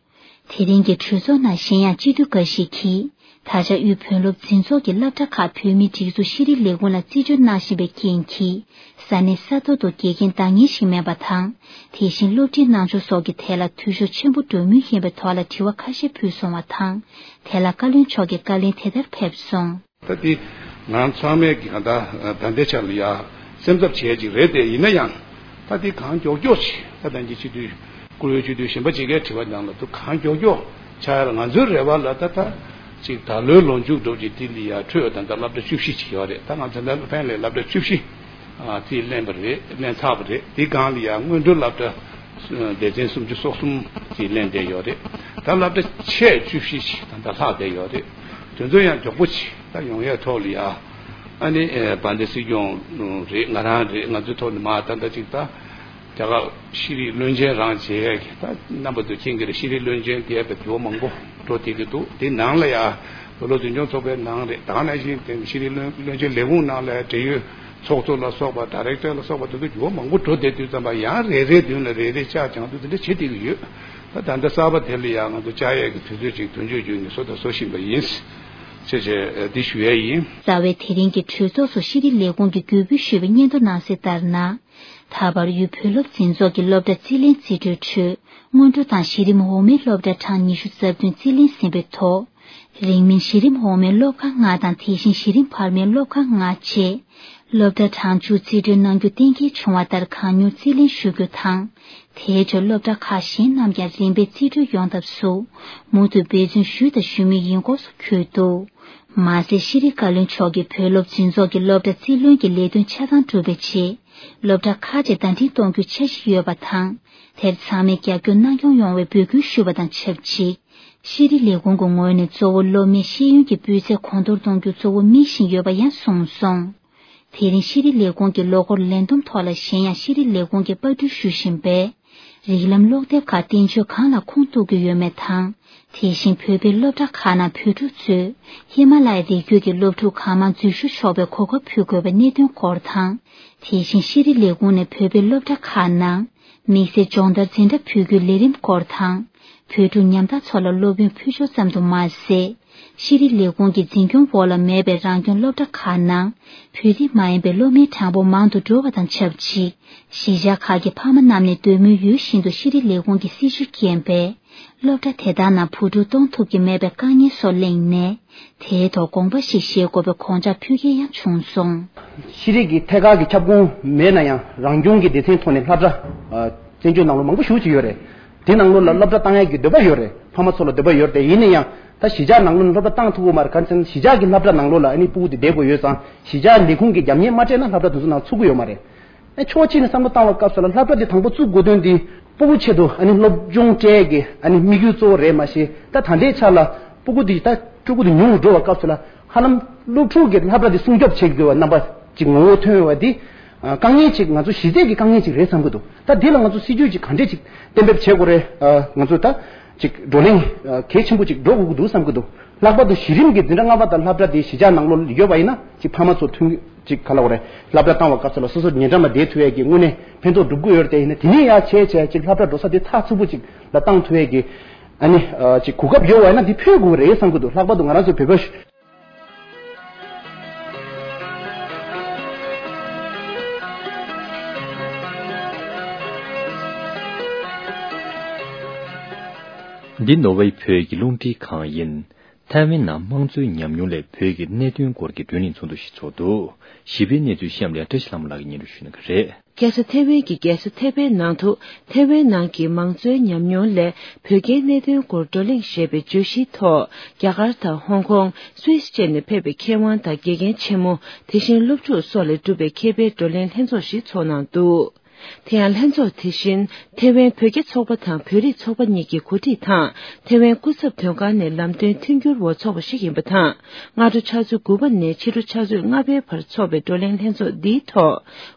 དེ་རིང་གི་གྲོས་ཚོགས་ནང་གཞན་ཡང་སྤྱི་འཐུས་འགའ་ཞིག་གིས། ད་ཆ་དབུས་བོད་སློབ་འཛིན་ཚོགས་ཀྱི་སློབ་གྲྭ་ཁག་བོད་མིའི་སྒྲིག་འཛུགས་ཤེས་རིག་ལས་ཁུངས་ལ་རྩིས་སྤྲོད་གནང་བཞིན་པའི་རྐྱེན་གྱིས། ས་གནས་ས་ཐོག་ཏུ་དགེ་རྒན་འདང་ངེས་ཤིག་མེད་པ་དང་། དེ་བཞིན་སློབ་ཁྲིད་གནང་ཕྱོགས་སོགས་ཀྱི་ཐད་ལ་འཐུས་ཤོར་ཆེན་པོ་འགྲོ་མུས་ཡིན་པའི་ཐོག་ལ་དྲི་བ་ཁ་ཤས་ཕུལ་སོང་བ་དང་། དེ་ལ་བཀའ་བློན་མཆོག་གིས་བཀའ་ལན་དེ་ལྟར་ཕེབས་སོང་། ད་དེ་ང་རང་ཚང་མས་ཀྱི་གང་ལྟར་ད་ལྟའི་ཆར་ལ་ཡ་སེམས་འཚབ་བྱས་ཅིག་རེད་དེ། ཡིན་ན་ཡང་ད་དེ་གང་མགྱོགས་མགྱོགས་ཅིག་ད་ལྟ་ཉིད་སྤྱི་འཐུས་བཀུར་འོས་སྤྱི་འཐུས་གཞན་པ་ཅིག་གིས་དྲི་བ་གནང་ལ་དུ་གང་མགྱོགས་མགྱོགས་ཆགས་ཡ་ལ་ང་ཚོའི་རེ་བ་ལ་ད་ད་ཅིག་ད་ལོའི་ལོ་མཇུག་འགྲོ་ཅིག་དེ་ལ་ཡ་འཕྲོས་ད་ལྟ་སློབ་གྲྭ་བཅུ་བཞི་ཅིག་ཡོད་རེད། ད་ང་ཚོ་ད་ལྟ་ཕན་ལས་སློབ་གྲྭ་བཅུ་བཞི་དེ་ལེན་པ་རེད། ལེན་ཚར་བ་རེད། དེ་སྒང་ལ་ཡ་སྔོན་འགྲོའི་སློབ་གྲྭ་སྡེ་ཚན་སུམ་ཅུ་སོ་གསུམ་ཅིག་ལེན་བསྡད་ཡོད་རེད། ད་སློབ་གྲྭ་ཆེ་བཅུ་བཞི་ཅིག་ད་ལྟ་ལྷག་བསྡད་ཡོད་རེད། དེ་ཚོ་ཡང་མགྱོགས་པོ་ཅིག་ད་ཡོང་ཡས་ཐོག་ལ་ཡ། ཨ་ནི་ཨེ་བན་དེ་སྲིད་སྐྱོང་རེད། ང་རང་རེད། ང་ཚོའི་ཐོག་ནས་མ་ད་ལྟ་ཅིག་ད་རྒྱ་གར་ཤེས་རིག་བློན་ཆེན་རང་བྱེད་ཡས་ཀྱི་ད་རྣམ་པ་ཚོ་མཁྱེན་གྱི་རེད། ཤེས་རིག་བློན་ཆེན་དེ་ཡས་པའི་འགྱུར་བ་མང་པོ་འགྲོ་བསྡད་ཀྱི་འདུག་དེ་ནང་ལ་ཡ་བོད་སློབ་འཛིན་སྐྱོང་ཚོགས་པའི་ནང་རེད། ད་ག་ནང་བཞིན་དེ་ཤེས་རིག་བློན་བློན་ཆེན་ལས་ཁུངས་ནང་ལ་ཡ་འབྲེལ་ཡོད་ཚོགས་གཙོ་ལ་སོགས་པ་ཌའི་རེག་ཊར་ལ་སོགས་པ་དེ་ཚོ་འགྱུར་བ་མང་པོ་འགྲོ་བསྡད་དུས་ཙམ་པ་ཡང་རེ་རེའི་མདུན་ལ་རེ་རེ་ལྕགས་བྱང་དུ་དེ་འདྲ་བྱེད་བསྡད་ཀྱི་ཡོད། ད་ད་ལྟ་གསར་པ་དེ་ལ་ཡང་ང་ཚོ་བཅར་ཡས་ཀྱི་དུས་ཚོད་ཅིག་དོན་གཅོད་བརྒྱུད་ནས་བཟོ་དང་བཟོ་བཞིན་པ་ཡིན། ཅེས་བྱས་འདི་ཞུ་ཡས་ཡིན། རྩ་བའི་དེ་རིང་གི་གྲོས་ཚོགས་སུ་ཤེས་རིག་ལས་ཁུངས་ཀྱིས་གུས་འབུལ་ཞུས་པའི་སྙན་ཐོ་ནང་གསལ་ལྟར་ན། ད་བར་དབུས་བོད་སློབ་འཛིན་ཚོགས་ཀྱི་སློབ་གྲྭ་རྩིས་ལེན་རྩིས་སྤྲོད་ཁྲོད་སྔོན་འགྲོ་དང་གཞི་རིམ་འོག་མའི་སློབ་གྲྭ་གྲངས་ཉི་ཤུ་རྩ་བདུན་རྩིས་ལེན་ཟིན་པའི་ཐོག་རིང་མིན་གཞི་རིམ་འོག་མའི་སློབ་ཁག་ལྔ་དང་དེ་བཞིན་གཞི་རིམ་བར་མའི་སློབ་ཁག་ལྔ་བཅས་སློབ་གྲྭ་གྲངས་བཅུ་རྩིས་སྤྲོད་གནང་རྒྱུ་གཏན་འཁེལ་བྱུང་བ་ལྟར་གང་མྱུར་རྩིས་ལེན་ཞུ་རྒྱུ་དང་། དེའི་ཁྲོད་སློབ་གྲྭ་ཁག་གཞན་རྣམས་ཀྱང་རིམ་པས་རྩིས་སྤྲོད་ཡོང་ཐབས་སུ་མུ་མཐུད་འབད་བརྩོན་ཞུས་དང་ཞུ་མུས་ཡིན་སྐོར་སོགས་འཁོད་འདུག་མ་ཟད་ཤེས་རིག་བཀའ་བློན་མཆོག་གིས་བོད་སློབ་འཛིན་ཚོགས་ཀྱི་སློབ་གྲྭ་རྩིས་ལེན་གྱི་ལས་དོན་ཆ་ཚང་གྲུབ་པའི་རྗེས་སློབ་གྲྭ་ཁག་ཅིག་ཟླ་སྒྲིལ་གཏོང་རྒྱུའི་འཆར་གཞི་ཡོད་པ་དང་། དེར་ཚང་མས་རྒྱབ་སྐྱོར་གནང་སྐྱོང་ཡོང་བའི་འབོད་སྐུལ་ཞུས་པ་དང་ཆབས་ཅིག་ཤེས་རིག་ལས་ཁུངས་ཀྱི་ངོས་ནས་གཙོ་བོ་སློབ་མའི་ཤེས་ཡོན་གྱི་སྤུས་ཚད་གོང་མཐོར་གཏོང་རྒྱུ་གཙོ་བོ་དམིགས་བཞིན་ཡོད་པ་ཡང་གསུངས་སོང་། དེ་རིང་ཤེས་རིག་ལས་ཁུངས་ཀྱི་ལོ་འཁོར་ལས་བསྡོམས་ཐོག་ལ་གཞན་ཡང་ཤེས་རིག་ལས་ཁུངས་ཀྱིས་པར་སྐྲུན་ཞུ་བཞིན་པའི་རིགས་ལམ་ཀློག་དེབ་ཁག་བསྟན་བཅོས་གང་ལ་ཁུངས་གཏུག་གི་ཡོད་མེད་དང་། དེ་བཞིན་བོད་པའི་སློབ་གྲྭ་ཁག་ནང་བོད་ཕྲུག་ཚོས་ཧི་མ་ལ་ཡའི་རི་རྒྱུད་ཀྱི་སློབ་ཕྲུག་གང་མང་འཛུལ་ཞུགས་ཆོག་པའི་གོ་སྐབས་ཕུལ་དགོས་པའི་གནད་དོན་སྐོར་དང་། དེ་བཞིན་ཤེས་རིག་ལས་ཁུངས་ནས་བོད་པའི་སློབ་གྲྭ་ཁག་ནང་དམིགས་བསལ་སྦྱོང་བརྡར་འཛིན་གྲྭ་ཕུལ་རྒྱུའི་ལས་རིམ་སྐོར་དང་། བོད་ཕྲུག་ཉམ་ཐག་ཚོ་ལ་སློབ་ཡོན་ཕུལ་ཕྱོགས་ཙམ་དུ་མ་ཟད། ཤེས་རིག་ལས་ཁུངས་ཀྱི་འཛིན་སྐྱོང་འོག་ལ་མེད་པའི་རང་སྐྱོང་སློབ་གྲྭ་ཁག་ནང་བོད་རིགས་མ་ཡིན་པའི་སློབ་མའི་གྲངས་འབོར་མང་དུ་འགྲོ་བ་དང་ཆབས་ཅིག་གཞིས་ཆགས་ཁག་གི་ཕ་མ་རྣམས་ནས་འདོད་མོས་ཡོད་བཞིན་དུ་ཤེས་རིག་ལས་ཁུངས་ཀྱི་སྲིད་བྱུས་རྐྱེན་པས་སློབ་གྲྭ་དེ་དག་ནང་བུ་ཕྲུག་གཏོང་ཐུབ་ཀྱི་མེད་པའི་དཀའ་ངལ་སོགས་གླེང་ནས། དེའི་ཐོག་དགོངས་པ་ཞིག་བཞེས་དགོས་པའི་དགོངས་འཆར་ཕུལ་མཁན་ཡང་བྱུང་སོང་། ཤེས་རིག་གི་ཐད་ཀར་གྱི་ཁྱབ་ཁོངས་མེད་ན་ཡང་རང་སྐྱོང་གི་སྡེ་ཚན་ཐོག་ནས་སློབ་གྲྭ་ཨ། བཙན་བྱོལ་ནང་ལོགས་མང་པོ་ཞེ་པོ་ཅིག་ཡོད་རེད། དེ་ནང་ལོགས་ལ་སློབ་གྲྭ་བཏང་ཡས་ཀྱི་འདོད་པ་ཡོད་རེད། ཕ་མ་ཚོ་ལ་འདོད་པ་ཡོད་རེད། ཡིན་ན་ཡང་ད་གཞིས་ཆགས་ནང་ལོགས་ནས་སློབ་གྲྭ་བཏང་ཐུབ་ཀྱི་མ་རེད། ག་རེ་ཟེར་ན་གཞིས་ཆགས་ཀྱི་སློབ་གྲྭ་ནང་ལོགས་ལ་ཨ་ནི་སྤུ་གུ་དེ་བསྡད་དགོས་ཡོད་ཙང་གཞིས་ཆགས་ལས་ཁུངས་ཀྱིས་རྒྱབ་གཉེར་མ་སྤྲད་ན་སློབ་གྲྭ་དེ་ཚོ་ནང་ཚུགས་ཀྱི་ཡོད་མ་རེད། ཨ་ཕྱོགས་གཅིག་ནས་བསམ་བློ་བཏང་བའི་སྐབས་སུ་ལ་སློབ་གྲྭ་འདི་དང་པོ་བཙུགས་དགོས་དོན་འདི་སྤུ་གུ་ཆེད་དུ་ཨ་ནི་སློབ་སྦྱོང་སྤྲད་ཀྱི་ཨ་ནི་དམིགས་ཡུལ་གཙོ་བོ་རེད། མ་གཞི་ད་ད་ལྟའི་ཆ་ལ་སྤུ་གུ་འདི་ད་ཕྲུ་གུ་འདི་ཉུང་རུ་འགྲོ་བའི་སྐབས་སུ་ལ་ཧ་ལམ་སློབ་ཕྲུག་གི་སློབ་གྲྭ་འདི་སྲུང་སྐྱོབ་བྱེད་དགོས་པ་རྣམ་པ་ཅིག་ངོ་བོ་ཐོན་ཡོད་པ་འདི་ དཀའ་ངལ་ཅིག་ང་ཚོ་གཞི་རྩའི་གི་དཀའ་ངལ་ཅིག་རེད་བསམ་གི་འདུག་ད་འདི་ལ་ང་ཚོ་སྲིད་ཇུས་ཅིག་ག་འདྲས་ཅིག་གཏན་འབེབས་བྱེད་དགོས་རེད། ང་ཚོ་ད་ཅིག་བགྲོ་གླེང་གལ་ཆེན་པོ་ཅིག་འགྲོ་དགོས་ཀྱི་འདུག་བསམ་གི་འདུག་ལྷག་པར་དུ་གཞི་རིམ་གྱི་འཛིན་གྲྭ་ལྔ་པ་དང་སློབ་གྲྭ་དེ་གཞིས་ཆགས་ནང་ལོགས་ཡོད་པ་ཡིན་ན་ཅིག་ཕ་མ་ཚོ་མཐུན་ཅིག་ག་ལ་བ་རེད། སློབ་གྲྭ་བཏང་བ་སྐབས་སུ་ལ་སོ་སོ་ཉེ་འགྲམ་ལ་བསྡད་ཐུབ་ཡས་ཀྱི་དངོས་གནས་ཕན་ཐོགས་སྒྲུབ་ཀྱི་ཡོད་རེད། དེ་ཡིན་ན་དེ་ནས་ཡར་བྱས་བྱས་ཅིག་སློབ་གྲྭ་འགྲོ་ས་དེ་ཚགས་ཚུད་པོ་ཅིག་ལ་བཏང་ཐུབ་ཡས་ཀྱི་ཨ་ནི་ཅིག་གོ་སྐབས་ཡོད་པ་ཡིན་ན་དེ་ཕུལ་དགོས་རེད་བསམ་གི་འདུག་ལྷག་པར་དུ་ང་རང་ཚོའི་བོད་པ། འདི་ནོར་ཝེ་བོད་ཀྱི་རླུང་འཕྲིན་ཁང་ཡིན། ཐའེ་ཝན་ནང་དམངས་གཙོའི་ཉམས་མྱོང་སླད་བོད་ཀྱི་གནད་དོན་སྐོར་གྱི་བགྲོ་གླེང་ཚོགས་འདུ་ཞིག་ཚོགས་འདུག་ཞི་བའི་གནས་ཚུལ་གཤམ་ལ་བཀྲ་ཤིས་ལྷ་མོ་ལགས་ཀྱིས་སྙན་སྒྲོན་ཞུ་གནང་གི་རེད། རྒྱལ་ས་ཐའེ་ཝན་གྱི་རྒྱལ་ས་ཐའེ་པེ་ནང་དུ་ཐའེ་ཝན་ནང་གི་མང་གཙོའི་ཉམས་མྱོང་སླད་བོད་རྒྱའི་གནད་དོན་སྐོར་བགྲོ་གླེང་ཞེས་པའི་བརྗོད་གཞིའི་ཐོག་རྒྱ་གར་དང་ཧོང་ཀོང་། སུད་སི་བཅས་ནས་ཕེབས་པའི་མཁས་དབང་དང་དགེ་རྒན་ཆེན་མོ། དེ་བཞིན་སློབ་ཕྲུག་སོགས་ལས་གྲུབ་པའི་མཁས་པའི་བགྲོ་གླེང་ལྷན་ཚོགས་ཤིག་ཚོགས་གནང་འདུག་དེ་ཡང་ལྷན་ཚོགས་དེ་བཞིན་ཐའེ་ཝན་བོད་རྒྱ་ཚོགས་པ་དང་བོད་རིགས་ཚོགས་པ་གཉིས་ཀྱིས་གོ་སྒྲིག་དང་ཐའེ་ཝན་སྐུ་ཚབ་དོན་ཁང་ནས་ལམ་སྟོན་མཐུན་འགྱུར་འོག་ཚོགས་པ་ཞིག་ཡིན་པ་དང་། སྔ་དྲོ་ཆུ་ཚོད་དགུ་པ་ནས་ཕྱི་དྲོ་ཆུ་ཚོད་ལྔ་པའི་བར་འཚོགས་པའི་བགྲོ་གླེང་ལྷན་ཚོགས་འདིའི་ཐོག་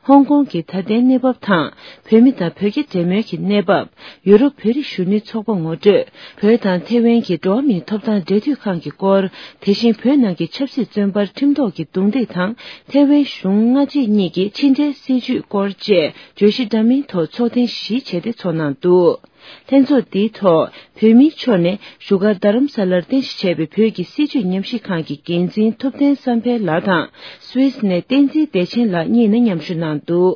ཧོང་ཀོང་གི་ད་ལྟའི་གནས་བབ་དང་བོད་མི་དང་བོད་རྒྱ་འབྲེལ་མོལ་གྱི་གནས་བབ། ཡུ་རོབ་བོད་རིགས་གཞོན་ནུའི་ཚོགས་པ་ངོ་སྤྲོད། བོད་དང་ཐའེ་ཝན་གྱི་འགྲོ་བ་མིའི་ཐོབ་ཐང་འབྲེལ་མཐུད་ཁང་གི་སྐོར། དེ་བཞིན་བོད་ནང་གི་ཆབ་སྲིད་བཙོན་པར་ཁྲིམས་ཐོག་གི་རྡུང་རྡེག་དང་ཐའེ་ཝན་གཞུང་སྔ་རྗེས་གཉིས་ཀྱི་ཕྱི་འབྲེལ་སྲིད་བྱུས་སྐོར་བཅས་བརྗོད་གཞི་འདྲ་མིན་ཐོག་ཚོགས་ཐེངས་བཞི་བྱས་ཏེ་ཚོགས་གནང་འདུག་ལྷན་ཚོགས་འདིའི་ཐོག་བོད་མིའི་ཕྱོགས་ནས་བཞུགས་སྒར་རྡ་རམ་ས་ལར་རྟེན་གཞི་བྱས་པའི་བོད་ཀྱི་སྲིད་བྱུས་ཉམས་ཞིབ་ཁང་གི་འགན་འཛིན་ཐུབ་བསྟན་བསམ་འཕེལ་ལགས་དང་སུད་སི་ནས་བསྟན་འཛིན་བདེ་ཆེན་ལགས་གཉིས་ནས་མཉམ་ཞུགས་གནང་འདུག་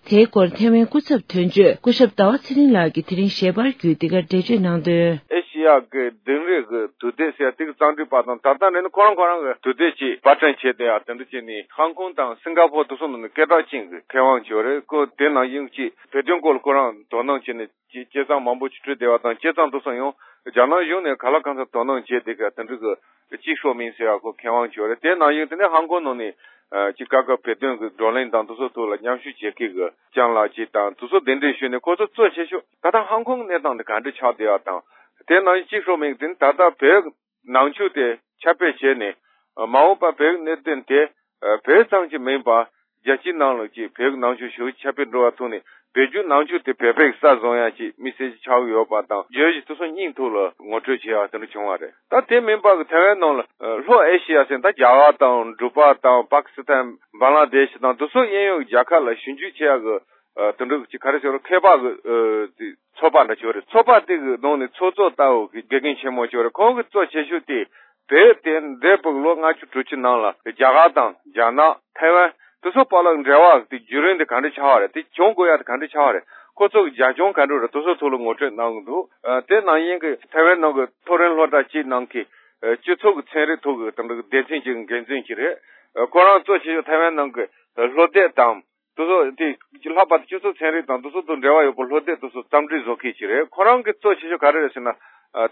དེའི་སྐོར་ཐའེ་ཝན་སྐུ་ཚབ་དོན་གཅོད་སྐུ་ཞབས་ཟླ་བ་ཚེ་རིང་ལགས་ཀྱིས་དེ་རིང་ཞལ་པར་བརྒྱུད་འདི་གར་འགྲེལ་བརྗོད་གནང་དོན། ཨེ་ཤི་ཡ་གི་གདན་རབས་ཀྱི་དུས་དེབ་ཟེར་ཡ་དེ་གི་རྩོམ་སྒྲིག་པ་དང་ད་ལྟ་འདྲ་ནི་ཁོ་རང་ཁོ་རང་གི་དུས་དེབ་ཅིག་པར་སྐྲུན་བྱས་ཏེ་ཡ་དེ་འདྲ་བྱས་ནས་ཧང་ཀོང་དང་སིང་ག་པོར་དེ་ཚོ་ནང་ནས་སྐད་གྲགས་ཅན་གྱི་མཁས་དབང་ཅིག་ཡོད་རེད། ཁོ་དེ་ནང་བཞིན་ཅིག་བོད་དོན་སྐོར་ལ་ཁོ་རང་དོ་སྣང་བྱས་ནས་ཅིག་དཔྱད་རྩོམ་མང་པོ་ཅིག་བྲིས་བསྡད་པ་དང་དཔྱད་རྩོམ་དེ་ཚོ་ཡང་རྒྱ་ནག་གཞུང་ནས་ག་ལ་གང་འཚམ་དོ་སྣང་བྱས་བསྡད་ཀྱི་དེ་འདྲ་གི་ཅིག་ཤོ་མིན་ཟེར་བ་ཁོ་མཁས་དབང་ཅིག་ཡོད་རེད། དེ་ནང་བཞིན་དེ་ནས་ཧང་ཀོང་ནང་ནས་ཅིག་ཀ་ཀ་བོད་དོན་གྱི་བགྲོ་གླེང་དང་དེ་ཚོ་ཐོག་ལ་མཉམ་ཞུགས་བྱེད་མཁན་གྱི་ལྕམ་ལགས་ཅིག་དང་དེ་ཚོ་གདན་འདྲེན་ཞུས་ནས་ཁོ་ཚོ་གཙོ་ཆེ་ཤོས་ད་ལྟ་ཧང་ཀོང་གནས་སྟངས་འདི་ག་འདྲ་ཆགས་བསྡད་པ་དང་། དེ་ནང་བཞིན་ཅིག་ཤོ་མིན་དེ་ནི་ད་ལྟ་བོད་ནང་ཆོས་དེ་ཁྱབ་སྤེལ་བྱས་ནས་མ་འོངས་པ་བོད་གནད་དོན་དེ་བོད་ཙམ་གྱི་མིན་པར་རྒྱལ་སྤྱིའི་ནང་ལ་ཅིག་བོད་ནང་ཆོས་ཞུ་ཁྱབ་སྤེལ་འགྲོ་བ་ཐོག་ནས་བོད་བརྒྱུད་ནང་ཆོས་དེ་བོད་པའི་ས་བཟུང་ཡ་ཅིག་དམིགས་བསལ་ཅིག་ཆགས་ཀྱི་ཡོད་པ་དང་བརྗོད་གཞི་དེ་ཚོ་སྙིང་ཐོག་ལ་ངོ་སྤྲོད་བྱས་ཡ་དེ་འདྲ་བྱུང་བ་རེད། ད་དེ་མིན་པ་གི་ཐའེ་ཝན་ནང་ལ་ལྷོ་ཨེ་ཤི་ཡ་ཟེར་ད་རྒྱ་གར་དང་འབྲུག་པ་དང་པ་ཀི་སི་ཐན་བང་ལ་དེ་ཤི་དང་དེ་ཚོ་གཡས་གཡོན་རྒྱལ་ཁབ་ལ་ཞིབ་འཇུག་བྱེད་ཡ་གི་དེ་འདྲ་གི་ཅིག་ག་རེ་ཟེར་རོ་མཁས་པ་གི་ཚོགས་པ་འདྲ་ཅིག་ཡོད་རེད། ཚོགས་པ་དེ་གི་ནང་ནས་ཚོགས་གཙོ་ལྟ་བུ་གི་དགེ་རྒན་ཆེན་མོ་ཅིག་ཡོད་རེད། ཁོང་གི་གཙོ་ཆེ་ཤོས་དེ་བོད་དེ་འདས་པའི་ལོ་ལྔ་བཅུ་དྲུག་ཅུ་ནང་ལ་རྒྱ་གར་དང་རྒྱ་ནག་ཐའེ་ཝན་དེ་ཚོ་བར་ལ་འབྲེལ་བ་དེ་བརྒྱུད་རིམ་དེ་ག་འདྲ་ཆགས་པ་རེད། དེ་བྱུང་དགོས་ཡ་དེ་ག་འདྲ་ཆགས་པ་རེད། ཁོ་ཚོ་གི་རྒྱབ་ལྗོངས་ག་འདྲ་རེད། དེ་ཚོ་ཐོག་ལ་ངོ་སྤྲོད་གནང་གི་འདུག་དེ་ནང་བཞིན་གི་ཐའེ་ཝན་ནང་གི་མཐོ་རིམ་སློབ་གྲྭ་གཅིག་ནང་གི་སྤྱི་ཚོགས་ཀྱི་ཚན་རིག་ཐོག་གི་དེ་འདྲ་གི་སྡེ་ཚན་གཅིག་གི་འགན་འཛིན་གཅིག་རེད། ཁོ་རང་གཙོ་ཆེ་ཤོས་ཐའེ་ཝན་ནང་གི་ལྷོ་སྡེ་དང་དེ་ཚོ་དེ་ལྷག་པར་དུ་སྤྱི་ཚོགས་ཚན་རིག་དང་དེ་ཚོ་དང་འབྲེལ་བ་ཡོད་པའི་ལྷོ་སྡེ་དེ་ཚོ་རྩོམ་སྒྲིག་བཟོ་མཁན་ཅིག་རེད། ཁོ་རང་གི་གཙོ་ཆེ་ཤོས་ག་རེ་རེད་ཟེར་ན།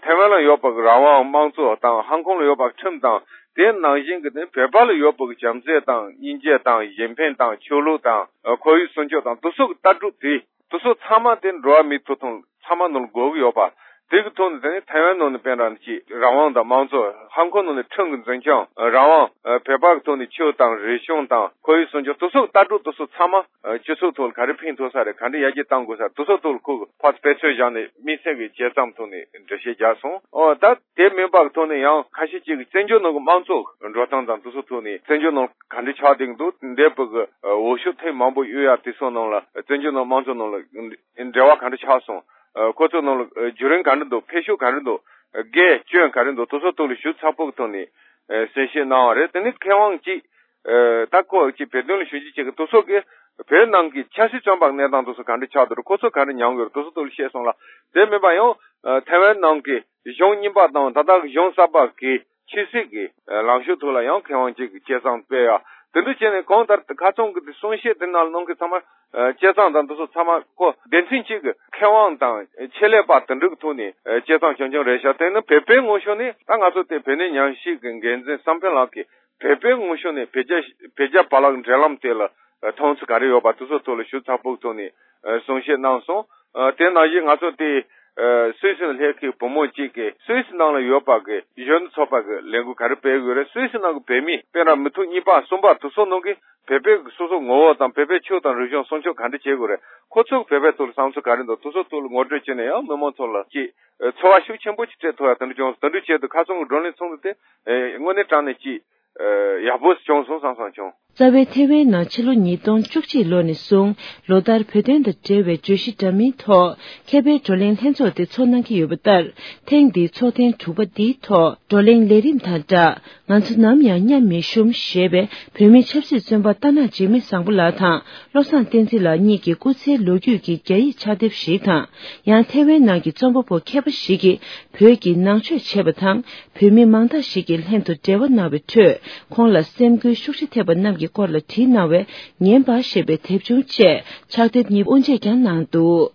ཐའེ་ཝན་ལ་ཡོད་པ་གི་རང་དབང་དམངས་གཙོ་དང་ཧང་ཀོང་ལ་ཡོད་པ་གི་ཁྲིམས་དང་དེ་ནང་བཞིན་གི་དེ་བོད་པ་ལ་ཡོད་པ་གི་བྱམས་བརྩེ་དང་སྙིང་རྗེ་དང་གཞན་ཕན་དང་ཆོས་ལུགས་དང་ཁོར་ཡུག་སྲུང་སྐྱོབ་དང་དེ་ཚོ་གི་ལྟ་གྲུབ་དེ། དེ་ཚོ་ཚང་མ་དེ་འགྲོ་བ་མིའི་ཐོབ་ཐང་ཚང་མ་ནང་ལ་དགོས་ཀྱི་ཡོད་པ། དེ་གི་ཐོག་ནས་དེ་ནི་ཐའེ་ཝན་ནང་ནས་དཔེར་ན་ཅིག་རང་དབང་དང་དམངས་གཙོ། ཧང་ཀོང་ནང་ནས་ཁྲིམས་ཀྱི་འཛིན་སྐྱོང་། རང་དབང་། བོད་པ་གི་ཐོག་ནས་ཆོས་དང་རིག་གཞུང་དང་ཁོར་ཡུག་སྲུང་སྐྱོབ་དེ་ཚོ་ལྟ་གྲུབ་དེ་ཚོ་ཚང་མ་སྤྱི་ཚོགས་ཐོག་ལ་ག་རེ་ཕན་ཐོགས་ས་རེད། ག་འདྲ་ཡར་རྒྱས་གཏང་དགོས་ས་དེ་ཚོ་ཐོག་ལ་ཁོ་གི་ཕར་དཔེ་མཚོན་བཞག་ནས་དམིགས་བསལ་གྱི་དཔྱད་རྩོམ་ཐོག་ནས་འགྲེལ་བཤད་རྒྱག་སོང་། ཨོ་ད་དེ་མིན་པ་གི་ཐོག་ནས་ཡང་ཁ་ཤས་ཅིག་གིས་བཙན་བྱོལ་ནང་གི་དམངས་གཙོ་འགྲོ་སྟངས་དང་དེ་ཚོ་ཐོག་ནས་བཙན་བྱོལ་ནང་ག་འདྲ་ཆགས་བསྡད་ཀྱི་འདུག་འདས་པའི་གི་འོས་ཤོག་ཐེངས་མང་པོ་གཡུགས་ཡ་དེ་ཚོ་ནང་ལ་བཙན་བྱོལ་ནང་དམངས་གཙོ་ནང་ལ་འབྲེལ་བ་ག་འདྲ་ཆགས་སོང་། ཁོ་ཚོ་ནང་ལ་བརྒྱུད་རིམ་ག་འདྲ་འདུག་ཕན་ཤུགས་ག་འདྲ་འདུག་དགེ་སྐྱོན་ག་རེ་འདུག་དེ་ཚོ་ཐོག་ལ་ཞིབ་ཚགས་པོ་གི་ཐོག་ནས་གསལ་བཤད་གནང་བ་རེད། དེ་ནི་མཁས་དབང་གཅིག་ད་ཁོ་གཅིག་བོད་དོན་ལ་ཞིབ་འཇུག་བྱེད་མཁན་དེ་ཚོ་གིས་བོད་ནང་གི་ཆབ་སྲིད་བཙོན་པ་གནས་སྟངས་དེ་ཚོ་ག་འདྲ་ཆགས་འདུག་ཁོ་ཚོ་ག་འདྲ་མྱངས་ཡོད་རེད། དེ་ཚོ་ཐོག་ལ་བཤད་སོང་ལ། དེ་མིན་པ་ཡང་ཐའེ་ཝན་ནང་གི་གཞུང་རྙིང་པ་དང་ད་ལྟ་གཞུང་གསར་པ་གི་ཆོས་སྲིད་ཀྱི་ལངས་ཕྱོགས་ཐོག་ལ་ཡང་མཁས་དབང་གཅིག་གིས་དཔྱད་རྩོམ་སྤེལ་ཡ། དེ་འདྲ་བྱས་ནས་གང་ལྟར་ཁ་སང་གི་དེ་གསུང་བཤད་དེ་ནང་གནང་མཁན་ཚང་མ་དཔྱད་རྩོམ་དང་དེ་ཚོ་ཚང་མ་ཁོ་སྡེ་ཚན་གཅིག་གི་མཁས་དབང་དང་ཆེད་ལས་པ་དེ་འདྲ་གི་ཐོག་ནས་དཔྱད་རྩོམ་རྐྱང་རྐྱང་རེད་ཤག་དེ་ནི་བོད་པའི་ངོས་ཕྱོགས་ནས་ད་ང་ཚོ་དེ་བོད་གནས་ཉམས་ཞིབ་ཀྱི་འགན་འཛིན་བསམ་འཕེལ་ལགས་ཀྱིས་བོད་པའི་ངོས་ཕྱོགས་ནས་བོད་རྒྱ་བོད་རྒྱ་བར་ལ་འབྲེལ་ལམ་དེ་ལ་མཐོང་ཚུལ་ག་རེ་ཡོད་པ་དེ་ཚོ་ཐོག་ལ་ཞིབ་ཚགས་པོའི་ཐོག་ནས་གསུང་བཤད་གནང་སོང་། དེ་ནང་བཞིན་ང་ཚོ་དེ་ ཨ་སུད་སི་ནས་སླེབས་མཁན་བུ་མོ་གཅིག་གིས་སུད་སི་ནང་ལ་ཡོད་པ་གི་གཞོན་ནུ་ཚོགས་པ་གི་ལས་འགུལ་ག་རེ་སྤེལ་དགོས་རེད། སུད་སི་ནང་གི་བོད་མི་དཔེ་ར་མི་ཐུབ་གཉིས་པ་གསུམ་པ་དེ་ཚོ་ནང་གི་བོད་པའི་སོ་སོ་ངོ་བོ་དང་བོད་པའི་ཆོས་དང་རིག་གཞུང་སྲུང་སྐྱོབ་ག་འདྲ་བྱེད་དགོས་རེད། ཁོ་ཚོ་བོད་པའི་ཐོག་ལ་བསམ་ཚུལ་ག་རེ་འདུག་དེ་ཚོ་ཐོག་ལ་ངོ་སྤྲོད་བྱས་ནས་ཡང་མི་མང་ཚོ་ལ་ཅིག་ཚོར་བ་ཤུགས་ཆེན་པོ་ཅིག་སྤྲད་ཐུབ་ཡ་དེ་འདྲ་བྱུང་སོང་། དེ་འདྲ་བྱས་དུས་ཁ་སང་གི་བགྲོ་གླེང་ཚོགས་འདུ་དེ་དངོས་གནས་དྲང་གནས་ཅིག་ཡག་པོ་བྱུང་སོང་བསམ་བསམ་བྱུང་། རྩ་བའི་ཐེ་ཝན་ནང་ཕྱི་ལོ་ཉིས་སྟོང་བཅུ་གཅིག་ལོ་ནས་བཟུང་ལོ་ལྟར་བོད་དོན་དང་འབྲེལ་བའི་བརྗོད་གཞི་འདྲ་མིན་ཐོག་མཁས་པའི་བགྲོ་གླེང་ལྷན་ཚོགས་དེ་ཚོགས་གནང་གི་ཡོད་པ་ལྟར། ཐེངས་འདིའི་ཚོགས་ཐེངས་དྲུག་པ་འདིའི་ཐོག་བགྲོ་གླེང་ལས་རིམ་དང་སྦྲགས། ང་ཚོ་ནམ་ཡང་མཉམ་མི་ཞུམ་ཞེས་པའི་བོད་མིའི་ཆབ་སྲིད་བཙོན་པ་རྟ་ནག་འཇིགས་མེད་བཟང་པོ་ལགས་དང་བློ་བཟང་བསྟན་འཛིན་ལགས་གཉིས་ཀྱི་སྐུ་ཚེའི་ལོ་རྒྱུས་ཀྱི་རྒྱ་ཡིག་ཕྱག་དེབ་ཞིག་དང་། ཡང་ཐེ་ཝན་ནང་གི་རྩོམ་པ་པོ་མཁས་པ་ཞིག་གིས་བོད་ཀྱི་ནང་ཆོས་བྱས་པ་དང་། བོད་མི་མང་དག་ཞིག་གིས་ལྷན་དུ་འབྲེལ་བ་གནང་བའི་ཁྲོད། ཁོང་ལ་སེམས་འགུལ་ཤུགས་ཆེ་ཐེབས་པ་རྣམས་ཀྱི་སྐོར་ལ་བྲིས་གནང་བའི་ཉན་པ་ཞེས་པའི་དེབ་ཆུང་བཅས་ཕྱག་དེབ་གཉིས་དབུ་འབྱེད་ཀྱང་གནང་འདུག།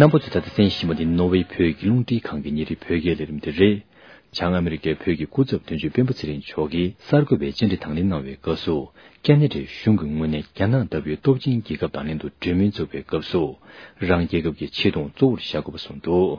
རྣམ་པ་ཚོས་ད་ལྟ་གསན་བཞིན་པ་ནི་ནོར་ཝེ་བོད་ཀྱི་རླུང་འཕྲིན་ཁང་གི་ཉིན་རེའི་བོད་སྐད་ལས་རིམ་དེ་རེད། བྱང་ཨ་མི་རི་ཀའི་བོད་ཀྱི་སྐུ་ཚབ་དོན་གཅོད་སྤེན་པ་ཚེ་རིང་མཆོག་གིས་གསར་འགོད་པའི་བཅར་འདྲི་དང་ལེན་གནང་བའི་སྐབས་སུ། ཁེ་ན་ཌའི་གཞུང་གི་ངོས་ནས་རྒྱ་ནག་ལྟ་བུའི་སྟོབས་ཆེན་རྒྱལ་ཁབ་དང་ལྷན་དུ་གྲོས་མོལ་འཛུགས་པའི་སྐབས་སུ། རང་རྒྱལ་ཁབ་ཀྱི་ཆེ་མཐོང་གཙོ་བོར་བཞག་དགོས་པ་གསུངས་འདུག།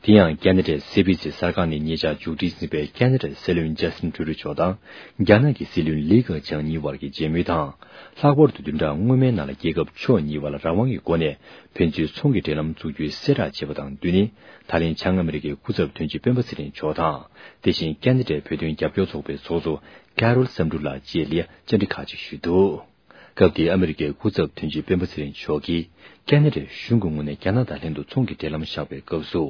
དེ་ཡང་ཁེ་ན་ཌའི་སི་བི་སི་གསར་ཁང་ནས་ཉེ་ཆར་མཇུག་སྒྲིལ་ཟིན་པའི་ཁེ་ན་ཌའི་སྲིད་བློན་ཇ་སི་ཊིན་ཊུ་རུ་མཆོག་དང་རྒྱ་ནག་གི་སྲིད་བློན་ལི་ཁེ་ཆང་གཉིས་བར་གྱི་མཇལ་མོལ་དང་། ལྷག་པར་དུ་བདུན་ཕྲག་སྔོན་མའི་ནང་ལ་རྒྱལ་ཁབ་ཕྱོགས་གཉིས་བར་ལ་རང་དབང་གི་སྒོ་ནས་ཕན་ཚུན་ཚོང་གི་འབྲེལ་ལམ་འཛུགས་རྒྱུའི་གསལ་བསྒྲགས་བྱས་པ་དང་བསྟུན་ནས། ད་ལན་བྱང་ཨ་མི་རི་ཀའི་སྐུ་ཚབ་དོན་གཅོད་སྤེན་པ་ཚེ་རིང་མཆོག་དང་། དེ་བཞིན་ཁེ་ན་ཌའི་བོད་དོན་རྒྱབ་སྐྱོར་ཚོགས་པའི་ཚོགས་གཙོ་ཀ་རོལ་བསམ་འགྲུབ་ལགས་བཅས་ལ་བཅར་འདྲི་ཁག་ཅིག་ཞུས་འདུག། སྐབས་དེའི་ཨ་མི་རི་ཀའི་སྐུ་ཚབ་དོན་གཅོད་སྤེན་པ་ཚེ་རིང་མཆོག་གིས་ཁེ་ན་ཌའི་གཞུང་གི་ངོས་ནས་རྒྱ་ནག་དང་ལྷན་དུ་ཚོང་གི་འབྲེལ་ལམ་བཞག་པའི་སྐབས་སུ།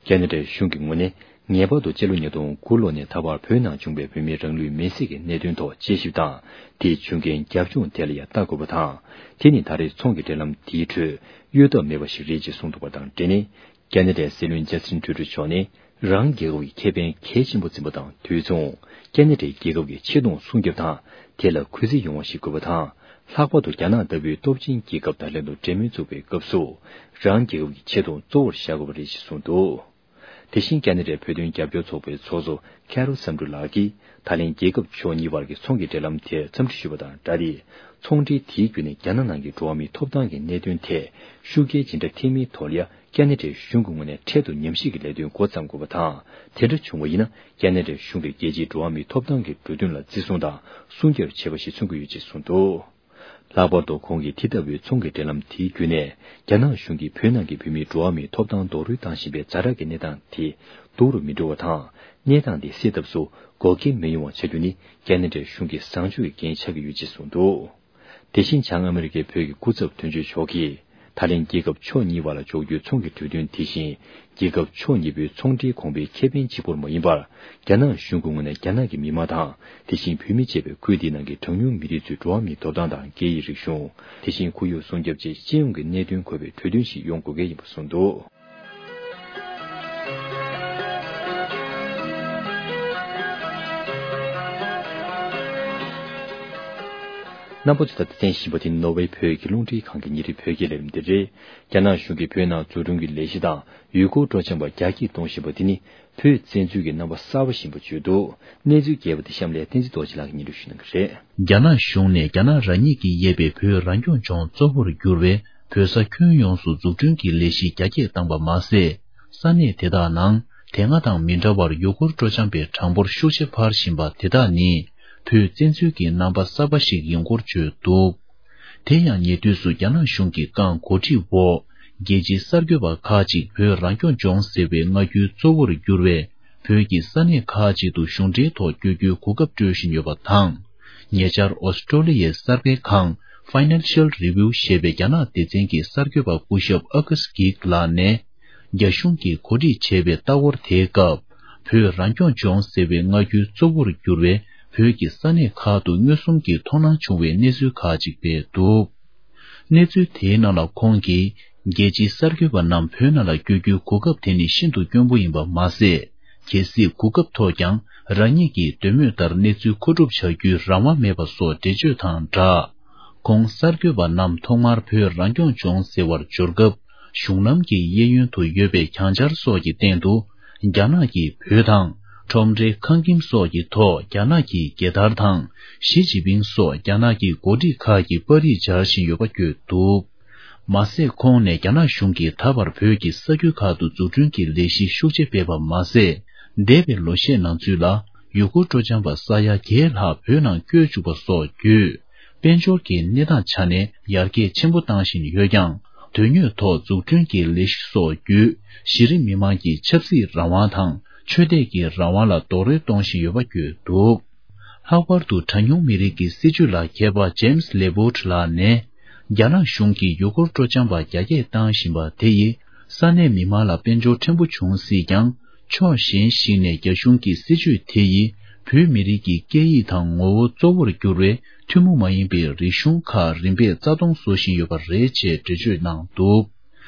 ཁེ་ན་ཌའི་གཞུང་གི་ངོས་ནས་ངེས་པར་དུ་སྤྱི་ལོ་ཉིས་སྟོང་དགུ་ལོ་ནས་ད་བར་བོད་ནང་བྱུང་བའི་བོད་མིའི་རང་ལུས་མེར་སྲེག་གི་གནད་དོན་ཐོག་དཔྱད་ཞིབ་དང་། དེས་བྱུང་རྐྱེན་རྒྱབ་ལྗོངས་ཐད་ལ་ཡང་ལྟ་དགོས་པ་དང་། དེ་ནི་ད་རེས་ཚོང་གི་འབྲེལ་ལམ་དེའི་ཁྲོད་གཡོལ་ཐབས་མེད་པ་ཞིག་རེད་ཅེས་གསུངས་འདུག་པ་དང་འབྲེལ་ནས། ཁེ་ན་ཌའི་སྲིད་བློན་ཇ་སི་ཊིན་ཊུ་རུ་མཆོག་ནི་རང་རྒྱལ་ཁབ་ཀྱི་ཁེ་ཕན་གལ་ཆེན་པོ་འཛིན་པ་དང་དུས་མཚུངས། ཁེ་ན་ཌའི་རྒྱལ་ཁབ་ཀྱི་ཆེ་མཐོང་སྲུང་སྐྱོབ་དང་། དེ་ལ་གུས་བརྩི་ཡོང་བ་ཞིག་དགོས་པ་དང་། ལྷག་པར་དུ་རྒྱ་ནག་ལྟ་བུའི་སྟོབས་ཆེན་རྒྱལ་ཁབ་དང་ལྷན་དུ་འབྲེལ་མོལ་འཛུགས་པའི་སྐབས་སུ། རང་རྒྱལ་ཁབ་ཀྱི་ཆེ་མཐོང་གཙོ་བོར་བཞག་དགོས་པ་རེད་ཅེས་གསུངས་འདུག། དེ་བཞིན་ཁེ་ན་ཌའི་བོད་དོན་རྒྱབ་སྐྱོར་ཚོགས་པའི་ཚོགས་གཙོ་ཁེ་རོལ་བསམ་འགྲུབ་ལགས་ཀྱིས། ད་ལན་རྒྱལ་ཁབ་ཕྱོགས་གཉིས་བར་གྱི་ཚོང་གི་འབྲེལ་ལམ་དེར་འཚམས་འདྲི་ཞུས་པ་དང་སྦྲགས་ཏེ། ཚོང་འབྲེལ་དེའི་བརྒྱུད་ནས་རྒྱ་ནག་ནང་གི་འགྲོ་བ་མིའི་ཐོབ་ཐང་གི་གནད་དོན་ཐད་ཤུགས་རྐྱེན་ཇི་འདྲ་ཐེབས་མིན་ཐོག་ལ་ཡང་ཁེ་ན་ཌའི་གཞུང་གི་ངོས་ནས་འཕྲལ་དུ་ཉམས་ཞིབ་ཀྱི་ལས་དོན་འགོ་བརྩམ་དགོས་པ་དང་། དེ་འདྲ་བྱུང་བ་ཡིན་ན། ཁེ་ན་ཌའི་གཞུང་གིས་རྒྱལ་སྤྱིའི་འགྲོ་བ་མིའི་ཐོབ་ཐང་གི་འགྲོ་དོན་ལ་བརྩི་སྲུང་དང་སྲུང་སྐྱོབ་བྱས་པ་ཞིག་མཚོན་གྱི་ཡོད་ཅེས་གསུངས་འདུག། ལྷག་པར་དུ་ཁོང་གིས་དེ་ལྟ་བུའི་ཚོང་གི་འབྲེལ་ལམ་དེའི་བརྒྱུད་ནས། རྒྱ་ནག་གཞུང་གིས་བོད་ནང་གི་བོད་མིའི་འགྲོ་བ་མིའི་ཐོབ་ཐང་རྡོག་རོལ་བཏང་བཞིན་པའི་ཛ་དྲག་གི་གནས་སྟངས་དེ་སྡུག་རུ་མི་འགྲོ་བ་དང་། གནས་སྟངས་དེ་སེལ་ཐབས་སུ་འགོག་རྐྱེན་མི་ཡོང་བ་བྱ་རྒྱུ་ནི་ཁེ་ན་ཌའི་གཞུང་གི་བཟང་སྤྱོད་ཀྱི་འགན་ཆགས་ཀྱི་ཡོད་ཅེས་གསུངས་འདུག། དེ་བཞིན་བྱང་ཨ་མི་རི་ཀའི་བོད་ཀྱི་སྐུ་ཚབ་དོན་གཅོད་མཆོག་གིས། ད་ལན་རྒྱལ་ཁབ་ཕྱོགས་གཉིས་བར་ལ་འཇོག་རྒྱུའི་ཚོང་གི་གྲོས་མཐུན་དེ་བཞིན། རྒྱལ་ཁབ་ཕྱོགས་གཉིས་པོའི་ཚོང་འབྲེལ་གོང་འཕེལ་ཁེ་ཕན་གཅིག་པུར་མ་ཡིན་པར། རྒྱ་ནག་གཞུང་གི་ངོས་ནས་རྒྱ་ནག་གི་མི་དམངས་དང་། དེ་བཞིན་བོད་མི་བཅས་པའི་ཁུལ་འདིའི་ནང་གི་གྲངས་ཉུང་མི་རིགས་ཚོའི་འགྲོ་བ་མིའི་ཐོབ་ཐང་དང་སྐད་ཡིག་རིག་གཞུང་། དེ་བཞིན་ཁོར་ཡུག་སྲུང་སྐྱོབ་བཅས་སྤྱི་ཡོངས་ཀྱི་གནད་དོན་འཁོད་པའི་གྲོས་མཐུན་ཞིག་ཡོང་དགོས་གལ་ཡིན་པ་གསུངས་འདུག། རྣམ་པ་ཚོས་ད་ལྟ་གསན་བཞིན་པ་དེ་ནོར་ཝེ་བོད་ཀྱི་རླུང་འཕྲིན་ཁང་གི་ཉིན་རེའི་བོད་སྐད་ལས་རིམ་དེ་རེད། རྒྱ་ནག་གཞུང་གིས་བོད་ནང་འཛུགས་སྐྲུན་གྱི་ལས་གཞི་དང་ཡུལ་སྐོར་སྤྲོ་འཆམ་པ་རྒྱ་སྐྱེད་གཏོང་བཞིན་པ་དེ་ནི་བོད་བཙན་འཛུལ་གྱི་རྣམ་པ་གསར་པ་ཡིན་པ་བརྗོད་འདུག། གནས་ཚུལ་རྒྱས་པ་དེ་གཤམ་ལ་བསྟན་འཛིན་རྡོ་རྗེ་ལགས་ཀྱིས་སྙན་སྒྲོན་ཞུ་གནང་གི་རེད། རྒྱ་ནག་གཞུང་ནས་རྒྱ་ནག་རང་ཉིད་ཀྱིས་དབྱེ་བའི་བོད་རང་སྐྱོང་ལྗོངས་གཙོ་བོར་གྱུར་བའི་བོད་ས་ཁྱོན་ཡོངས་སུ་འཛུགས་སྐྲུན་གྱི་ལས་གཞི་རྒྱ་སྐྱེད་བཏང་པ་མ་ཟད། ས་གནས་དེ་དག་ནང་དེ་སྔ་དང་མི་འདྲ་བར་ཡུལ་སྐོར་སྤྲོ་འཆམ་པའི་གྲངས་འབོར་ཤུགས་ཆེ་འཕར་བཞིན་པ་དེ་དག་ནི་བོད་བཙན་འཛུལ་གྱི་རྣམ་པ་གསར་པ་ཞིག་ཡིན་སྐོར་བརྗོད་འདུག། དེ་ཡང་ཉེ་དུས་སུ་རྒྱ་ནག་གཞུང་གི་རྐང་འགོ་ཁྲིད་འོག་རྒྱལ་སྤྱིའི་གསར་འགོད་པ་ཁག་ཅིག་བོད་རང་སྐྱོང་ལྗོངས་ཟེར་བའི་སྔ་འགྱུར་གཙོ་བོར་གྱུར་བའི་བོད་ཀྱི་ས་གནས་ཁག་ཅིག་ཏུ་གཞུང་འབྲེལ་ཐོག་བསྐྱོད་རྒྱུའི་གོ་སྐབས་སྤྲོད་བཞིན་ཡོད་པ་དང་། ཉེ་ཆར་ཨོ་སི་ཀྲོ་ལི་ཡའི་གསར་སྤེལ་ཁང་Financial Review ཞེས་པའི་རྒྱ་ནག་སྡེ་ཚན་གྱི་གསར་འགོད་པ་སྐུ་ཞབས་ཨ་ཀཱས་གྷིག་ལགས་ནས། རྒྱ་གཞུང་གིས་གོ་སྒྲིག་བྱས་པའི་ལྟ་སྐོར་དེའི་སྐབས། བོད་རང་སྐྱོང་ལྗོངས་ཟེར་བའི་སྔ་འགྱུར་གཙོ་བོར་གྱུར་བའི་བོད་ཀྱི་ས་གནས་ཁག་ཏུ་མངོན་སུམ་གྱིས་མཐོང་སྣང་བྱུང་བའི་གནས་ཚུལ་ཁག་ཅིག་སྤེལ་འདུག། གནས་ཚུལ་དེའི་ནང་ལ་ཁོང་གིས། རྒྱལ་སྤྱིའི་གསར་འགོད་པ་རྣམས་བོད་ནང་ལ་བསྐྱོད་རྒྱུའི་གོ་སྐབས་དེ་ནི་ཤིན་ཏུ་དཀོན་པོ་ཡིན་པ་མ་ཟད། གལ་སྲིད་གོ་སྐབས་ཐོབ་ཀྱང་རང་ཉིད་ཀྱི་འདོད་མོས་ལྟར་གནས་ཚུལ་མཁོ་སྒྲུབ་བྱ་རྒྱུའི་རང་དབང་མེད་པ་སོགས་འགྲེལ་བརྗོད་དང་སྦྲགས། ཁོང་གསར་འགོད་པ་རྣམས་ཐོག་མར་བོད་རང་སྐྱོང་ལྗོངས་ཟེར་བར་འབྱོར་སྐབས། གཞུང་ལམ་གྱི་གཡས་གཡོན་དུ་ཡོད་པའི་གྱང་འཆར་སོགས་ཀྱི་སྟེང་དུ། རྒྱ་ནག་གིས་བོད་དང་ ཁྲོམ་རའི་ཁང་ཁྱིམ་སོགས་ཀྱི་ཐོག་རྒྱ་ནག་གི་རྒྱལ་དར་དང་། ཞི་ཅིན་ཕིང་སོགས་རྒྱ་ནག་གི་འགོ་ཁྲིད་ཁག་གི་པར་རིས་སྦྱར་བཞིན་ཡོད་པ་བརྗོད་འདུག་མ་ཟད། ཁོང་ནས་རྒྱ་ནག་གཞུང་གིས་ད་བར་བོད་ཀྱི་ས་ཁུལ་ཁག་ཏུ་འཛུགས་སྐྲུན་གྱི་ལས་གཞི་ཤུགས་ཆེ་སྤེལ་བ་མ་ཟད། འདས་པའི་ལོ་ཤས་ནང་ཚུད་ལ་ཡུ་གུར་སྤྲོ་འཆམ་པ་ས་ཡ་བརྒྱད་ལྷག་བོད་ནང་བསྐྱོད་བཅུག་པ་སོགས་བརྒྱུད། དཔལ་འབྱོར་གྱི་གནས་སྟངས་ཆ་ནས་ཡར་རྒྱས་ཆེན་པོ་བཏང་བཞིན་ཡོད་ཀྱང་། དོན་དངོས་ཐོག་འཛུགས་སྐྲུན་གྱི་ལས་གཞི་སོགས་བརྒྱུད། གཞི་རིམ་མི་མང་གི་ཆབ་སྲིད་རང་དབང་དང་། ཆོས་དད་ཀྱི་རང་དབང་ལ་རྡོག་རོལ་གཏོང་བཞིན་ཡོད་པ་བརྗོད་འདུག་ལྷག་པར་དུ་གྲངས་ཉུང་མི་རིགས་ཀྱི་སྲིད་བྱུས་ལ་མཁས་པ་ཇེམ་སི་ལེ་བྷོ་ཊི་ལགས་ནས། རྒྱ་ནག་གཞུང་གིས་ཡུ་གུར་སྤྲོ་འཆམ་པ་རྒྱ་སྐྱེད་བཏང་བཞིན་པ་དེ་ཡིས་ས་གནས་མི་མང་ལ་དཔལ་འབྱོར་ཕྲན་བུ་བྱུང་སྲིད་ཀྱང་། ཕྱོགས་གཞན་ཞིག་ནས་རྒྱ་གཞུང་གི་སྲིད་བྱུས་དེ་ཡིས་བོད་མི་རིགས་ཀྱི་སྐད་ཡིག་དང་ངོ་བོ་གཙོ་བོར་གྱུར་བའི་ཐུན་མོང་མ་ཡིན་པའི་རིག་གཞུང་ཁག་རིམ་པས་རྩ་སྟོངས་བཟོ་བཞིན་ཡོད་པ་རེད་ཅེས་འགྲེལ་བརྗོད་གནང་འདུག་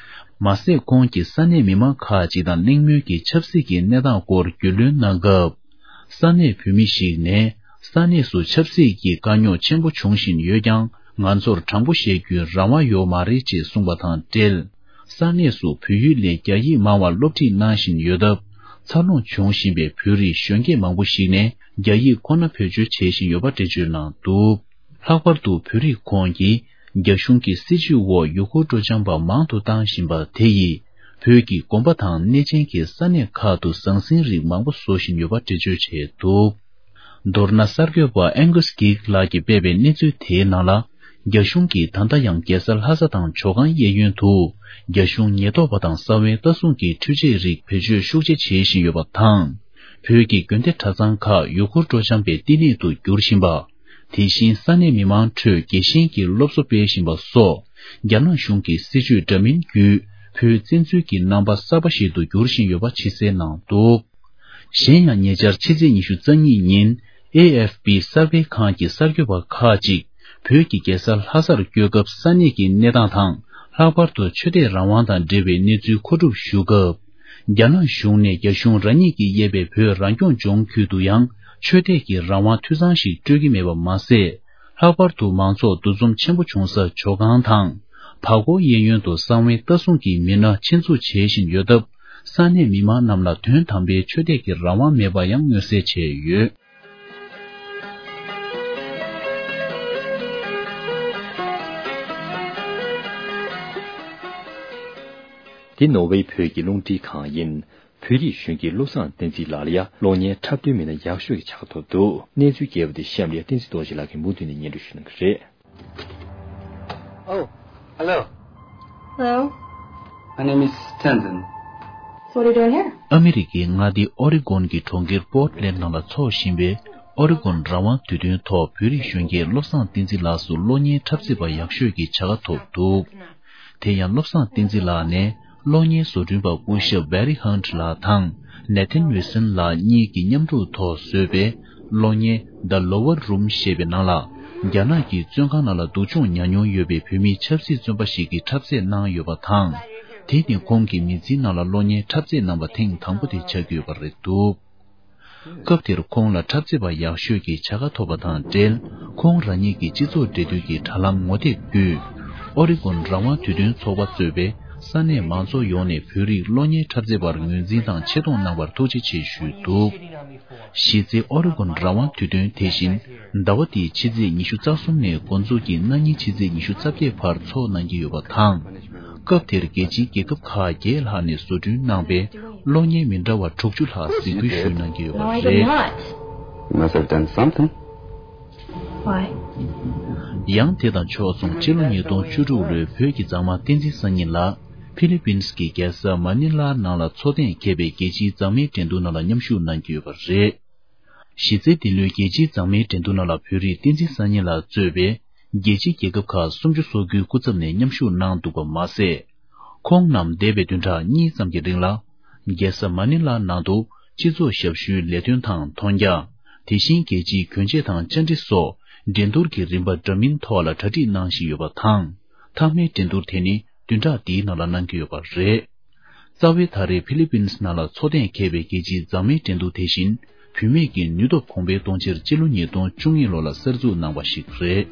མ་ཟད། ཁོང་གིས་ས་གནས་མི་མང་ཁག་ཅིག་དང་གླེང་མོལ་གྱིས་ཆབ་སྲིད་ཀྱི་གནས་སྟངས་སྐོར་རྒྱུས་ལོན་གནང་སྐབས། ས་གནས་བོད་མི་ཞིག་ནས། ས་གནས་སུ་ཆབ་སྲིད་ཀྱི་དཀའ་རྙོག་ཆེན་པོ་འབྱུང་བཞིན་ཡོད་ཀྱང་། ང་ཚོར་དྲང་པོ་བཤད་རྒྱུའི་རང་དབང་ཡོད་མ་རེད་ཅེས་གསུངས་པ་དང་འབྲེལ། ས་གནས་སུ་བོད་ཡིག་ལས་རྒྱ་ཡིག་མང་བ་སློབ་ཁྲིད་གནང་བཞིན་ཡོད་སྟབས། འཚར་ལོངས་བྱུང་བཞིན་པའི་བོད་རིགས་གཞོན་སྐྱེས་མང་པོ་ཞིག་ནས་རྒྱ་ཡིག་ཁོ་ན་བེད་སྤྱོད་བྱེད་བཞིན་ཡོད་པ་འགྲེལ་བརྗོད་གནང་འདུག་ལྷག་པར་དུ་བོད་རིགས་ཁོངས་ཀྱིས་རྒྱ་གཞུང་གི་སྲིད་བྱུས་འོག་ཡུ་གུར་སྤྲོ་འཆམ་པ་མང་དུ་བཏང་བཞིན་པ་དེ་ཡིས། བོད་ཀྱི་དགོན་པ་དང་གནས་ཆེན་གྱི་ས་གནས་ཁག་ཏུ་ཟང་ཟིང་རིགས་མང་པོ་བཟོ་བཞིན་ཡོད་པ་འགྲེལ་བརྗོད་བྱས་འདུག་མདོར་ན། གསར་འགོད་པ་ཨེང་གུ་སི་གྷིག་ལགས་ཀྱིས་སྤེལ་བའི་གནས་ཚུལ་དེའི་ནང་ལ། རྒྱ་གཞུང་གིས་ད་ལྟ་ཡང་རྒྱལ་ས་ལྷ་ས་དང་ཇོ་ཁང་གཡས་གཡོན་དུ། རྒྱ་གཞུང་ཉེན་རྟོག་པ་དང་གསང་བའི་ལྟ་སྲུང་གི་འཕྲུལ་ཆས་རིགས་བེད་སྤྱོད་ཤུགས་ཆེ་བྱེད་བཞིན་ཡོད་པ་དང་། བོད་ཀྱི་དགོན་སྡེ་གྲྭ་ཚང་ཁག་ཡུ་གུར་སྤྲོ་འཆམ་པའི་བསྟི་གནས་དུ་འགྱུར་བཞིན་པ། དེ་བཞིན་ས་གནས་མི་མང་ཁྲོད་རྒྱལ་ཞེན་གྱི་སློབ་གསོ་སྤེལ་བཞིན་པ་སོགས། རྒྱ་ནག་གཞུང་གི་སྲིད་བྱུས་འདྲ་མིན་བརྒྱུད། བོད་བཙན་འཛུལ་གྱི་རྣམ་པ་གསར་པ་ཞིག་ཏུ་འགྱུར་བཞིན་ཡོད་པ་ཕྱི་གསལ་གནང་འདུག་གཞན་ཡང་། ཉེ་ཆར་ཕྱི་ཚེས་ཉི་ཤུ་རྩ་གཉིས་ཉིན། ཨེ་ཨེཕ་པི་གསར་སྤེལ་ཁང་གི་གསར་འགོད་པ་ཁག་ཅིག་བོད་ཀྱི་རྒྱལ་ས་ལྷ་སར་བསྐྱོད་སྐབས། ས་གནས་ཀྱི་གནས་སྟངས་དང་། ལྷག་པར་དུ་ཆོས་དད་རང་དབང་དང་འབྲེལ་བའི་གནས་ཚུལ་མཁོ་སྒྲུབ་ཞུ་སྐབས། རྒྱ་ནག་གཞུང་ནས་རྒྱ་གཞུང་རང་ཉིད་ཀྱིས་དབྱེ་བའི་བོད་རང་སྐྱོང་ལྗོངས་ཁུལ་དུ་ཡང་ཆོས་དད་ཀྱི་རང་དབང་འཐུས་ཚང་ཞིག་སྤྲོད་ཀྱི་མེད་པ་མ་ཟད། ལྷག་པར་དུ་མང་ཚོགས་འདུ་འཛོམས་ཆེན་པོ་བྱུང་ས་ཇོ་ཁང་དང་། བར་སྐོར་གཡས་གཡོན་དུ་གསང་བའི་ལྟ་སྲུང་གི་མི་སྣ་ཆེད་འཛུགས་བྱེད་བཞིན་ཡོད་སྟབས། ས་གནས་མི་མང་རྣམས་ལ་དོན་དམ་པའི་ཆོས་དད་ཀྱི་རང་དབང་མེད་པ་ཡང་མངོན་གསལ་བྱས་ཡོད། འདི་ནོར་ཝེ་བོད་ཀྱི་རླུང་འཕྲིན་ཁང་ཡིན། བོད་རིགས་གཞོན་སྐྱེས་བློ་བཟང་བསྟན་འཛིན་ལགས་ལ་ཡང་གློག་བརྙན་འཁྲབ་སྟོན་མི་སྣ་ཡག་ཤོས་ཀྱི་ཆ་ཁ་ཐོབ་འདུག་གནས་ཚུལ་རྒྱས་པ་དེ་གཤམ་ལ་ཡང་བསྟན་འཛིན་རྡོ་རྗེ་ལགས་ཀྱིས་མུ་མཐུད་ནས་སྙན་སྒྲོན་ཞུ་གནང་གི་རེད། Oh, hello. Hello. My name is Tenzin. So what are you doing here? ཨ་མི་རི་ཀའི་མངའ་སྡེ་ཨོ་རི་གོན་གྱི་གྲོང་ཁྱེར་པོར་ཊི་ལེན་ཌི་ནང་ལ་འཚོགས་བཞིན་པའི་ཨོ་རི་གོན་རང་དབང་དུས་སྟོན་ཐོག་བོད་རིགས་གཞོན་སྐྱེས་བློ་བཟང་བསྟན་འཛིན་ལགས་སུ་གློག་བརྙན་འཁྲབ་རྩེད་པ་ཡག་ཤོས་ཀྱི་བྱ་དགའ་ཐོབ་འདུག་དེ་ཡང་བློ་བཟང་བསྟན་འཛིན་ལགས་ནས་གློག་བརྙན་བཟོ་སྐྲུན་པ་སྐུ་ཞབས་བྷེ་རི་ཧན་ཊི་ལགས་དང་ནེ་ཐན་ཝིལ་སན་ལགས་གཉིས་ཀྱིས་མཉམ་རུབ་ཐོག་བཟོས་པའི་གློག་བརྙན་The Lower Room ཞེས་པའི་ནང་ལ། རྒྱ་ནག་གི་བཙོན་ཁང་ནང་ལ་སྡུག་སྦྱོང་མྱངས་མྱོང་ཡོད་པའི་བོད་མི་ཆབ་སྲིད་བཙོན་པ་ཞིག་གིས་འཁྲབ་རྩེད་གནང་ཡོད་པ་དང་། དེ་ནི་ཁོང་གི་མི་ཚེའི་ནང་ལ་གློག་བརྙན་འཁྲབ་རྩེད་གནང་བ་ཐེངས་དང་པོ་དེ་ཆགས་ཀྱི་ཡོད་པ་རེད་འདུག་སྐབས་དེར་ཁོང་ལ་འཁྲབ་རྩེད་པ་ཡག་ཤོས་ཀྱི་བྱ་དགའ་ཐོབ་པ་དང་འབྲེལ། ཁོང་རང་ཉིད་ཀྱི་སྤྱི་ཚོགས་འབྲེལ་མཐུད་ཀྱི་དྲ་ལམ་ངོ་དེབ་བརྒྱུད། ཨོ་རི་གོན་རང་དབང་དུས་སྟོན་ཚོགས་པ་གཙོས་པའི་ས་གནས་མང་ཚོགས་ཡོངས་ནས་བོད་རིགས་གློག་བརྙན་འཁྲབ་རྩེད་པར་ངོས་འཛིན་དང་ཆེ་མཐོང་གནང་བར་ཐུགས་རྗེ་ཆེ་ཞུས་འདུག་གཞི་རྩའི་ཨོ་རི་གོན་རང་དབང་དུས་སྟོན་དེ་བཞིན་ཟླ་བ་འདིའི་ཕྱི་ཚེས་ཉི་ཤུ་རྩ་གསུམ་ནས་འགོ་འཛུགས་ཀྱིས་གནངས་ཉིན་ཕྱི་ཚེས་ཉི་ཤུ་རྩ་བརྒྱད་བར་འཚོགས་གནང་གི་ཡོད་པ་དང་། སྐབས་དེར་རྒྱལ་སྤྱིའི་རྒྱལ་ཁབ་ཁག་བརྒྱད་ལྷག་ནས་བཟོ་སྐྲུན་གནང་པའི་གློག་བརྙན་མི་འདྲ་བ་དྲུག་ཅུ་ལྷག་གཟིགས་འབུལ་ཞུས་གནང་གི་ཡོད་པ་Why རེད། not? You must have done something. Why? ཡང་དེ་དང་ཕྱོགས་མཚུངས་སྤྱི་ལོ་ཉིས་སྟོང་བཅུ་དྲུག་ལོའི་བོད་ཀྱི་མཛངས་མ་བསྟན་འཛིན་སང་ཉིན་ལགས་ཕི་ལི་པིན་སི་གི་རྒྱལ་ས་མ་ནི་ལ་ནང་ལ་འཚོགས་གཏན་འཁེལ་བའི་རྒྱལ་སྤྱིའི་མཛངས་མའི་འགྲན་བསྡུར་ནང་ལ་མཉམ་ཞུགས་གནང་གི་ཡོད་པ་རེད། གཞི་རྩའི་འདི་ལོའི་རྒྱལ་སྤྱིའི་མཛངས་མའི་འགྲན་བསྡུར་ནང་ལ་བོད་རིགས་བསྟན་འཛིན་སང་ཉིན་ལགས་གཙོས་པའི་རྒྱལ་སྤྱིའི་རྒྱལ་ཁབ་ཁག་སུམ་ཅུ་སོ་དགུའི་སྐུ་ཚབ་ནས་མཉམ་ཞུགས་གནང་འདུག་པ་མ་ཟད། ཁོང་རྣམས་འདས་པའི་བདུན་ཕྲག་གཉིས་ཙམ་གྱི་རིང་ལ། རྒྱལ་ས་མ་ནི་ལ་ནང་དུ་སྤྱི་ཚོགས་ཞབས་ཞུའི་ལས་དོན་དང་མཐོང་རྒྱ། དེ་བཞིན་རྒྱལ་སྤྱིའི་གྱོན་ཆས་དང་བཅར་འདྲི་སོགས་འགྲན་བསྡུར་གྱི་རིམ་པ་འདྲ་མིན་ཐོག་ལ་གྲ་སྒྲིག་གནང་བཞིན་ཡོད་པ་དང་། མཐའ་མའི་འགྲན་བསྡུར་དེ་ནི་བདུན་ཕྲག་འདིའི་ནང་ལ་གནང་གི་ཡོད་པ་རེད། རྩ་བའི་ད་རེས་ཕི་ལི་པིན་སི་ནང་ལ་འཚོགས་གཏན་འཁེལ་བའི་རྒྱལ་སྤྱིའི་མཛངས་མའི་འགྲན་བསྡུར་དེ་བཞིན་བུད་མེད་ཀྱི་ནུས་སྟོབས་གོང་འཕེལ་གཏོང་ཕྱིར་སྤྱི་ལོ་ཉིས་སྟོང་བཅུ་གཉིས་ལོ་ལ་གསར་འཛུགས་གནང་བ་ཞིག་རེད།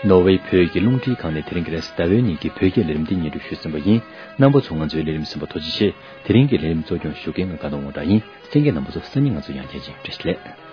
ནོར་ཝེ་བོད་ཀྱི་རླུང་འཕྲིན་ཁང་ནས་དེ་རིང་གི་རེས་གཟའ་ཟླ་བའི་ཉིན་གྱི་བོད་སྐད་ལས་རིམ་འདི་སྙན་སྒྲོན་ཞུས་ཟིན་པ་ཡིན། རྣམ་པ་ཚོ་ང་ཚོའི་ལས་རིམ་གསན་པར་ཐུགས་རྗེ་ཆེ། དེ་རིང་གི་ལས་རིམ་གཙོ་སྐྱོང་ཞུ་མཁན་ང་དགའ་ལྡན་དབང་གྲགས་ཡིན། གསན་མཁན་རྣམ་པ་ཚོ་སང་ཉིན་ང་ཚོ་ཡང་མཇལ་ཡིན། བཀྲ་ཤིས་བདེ་ལེགས།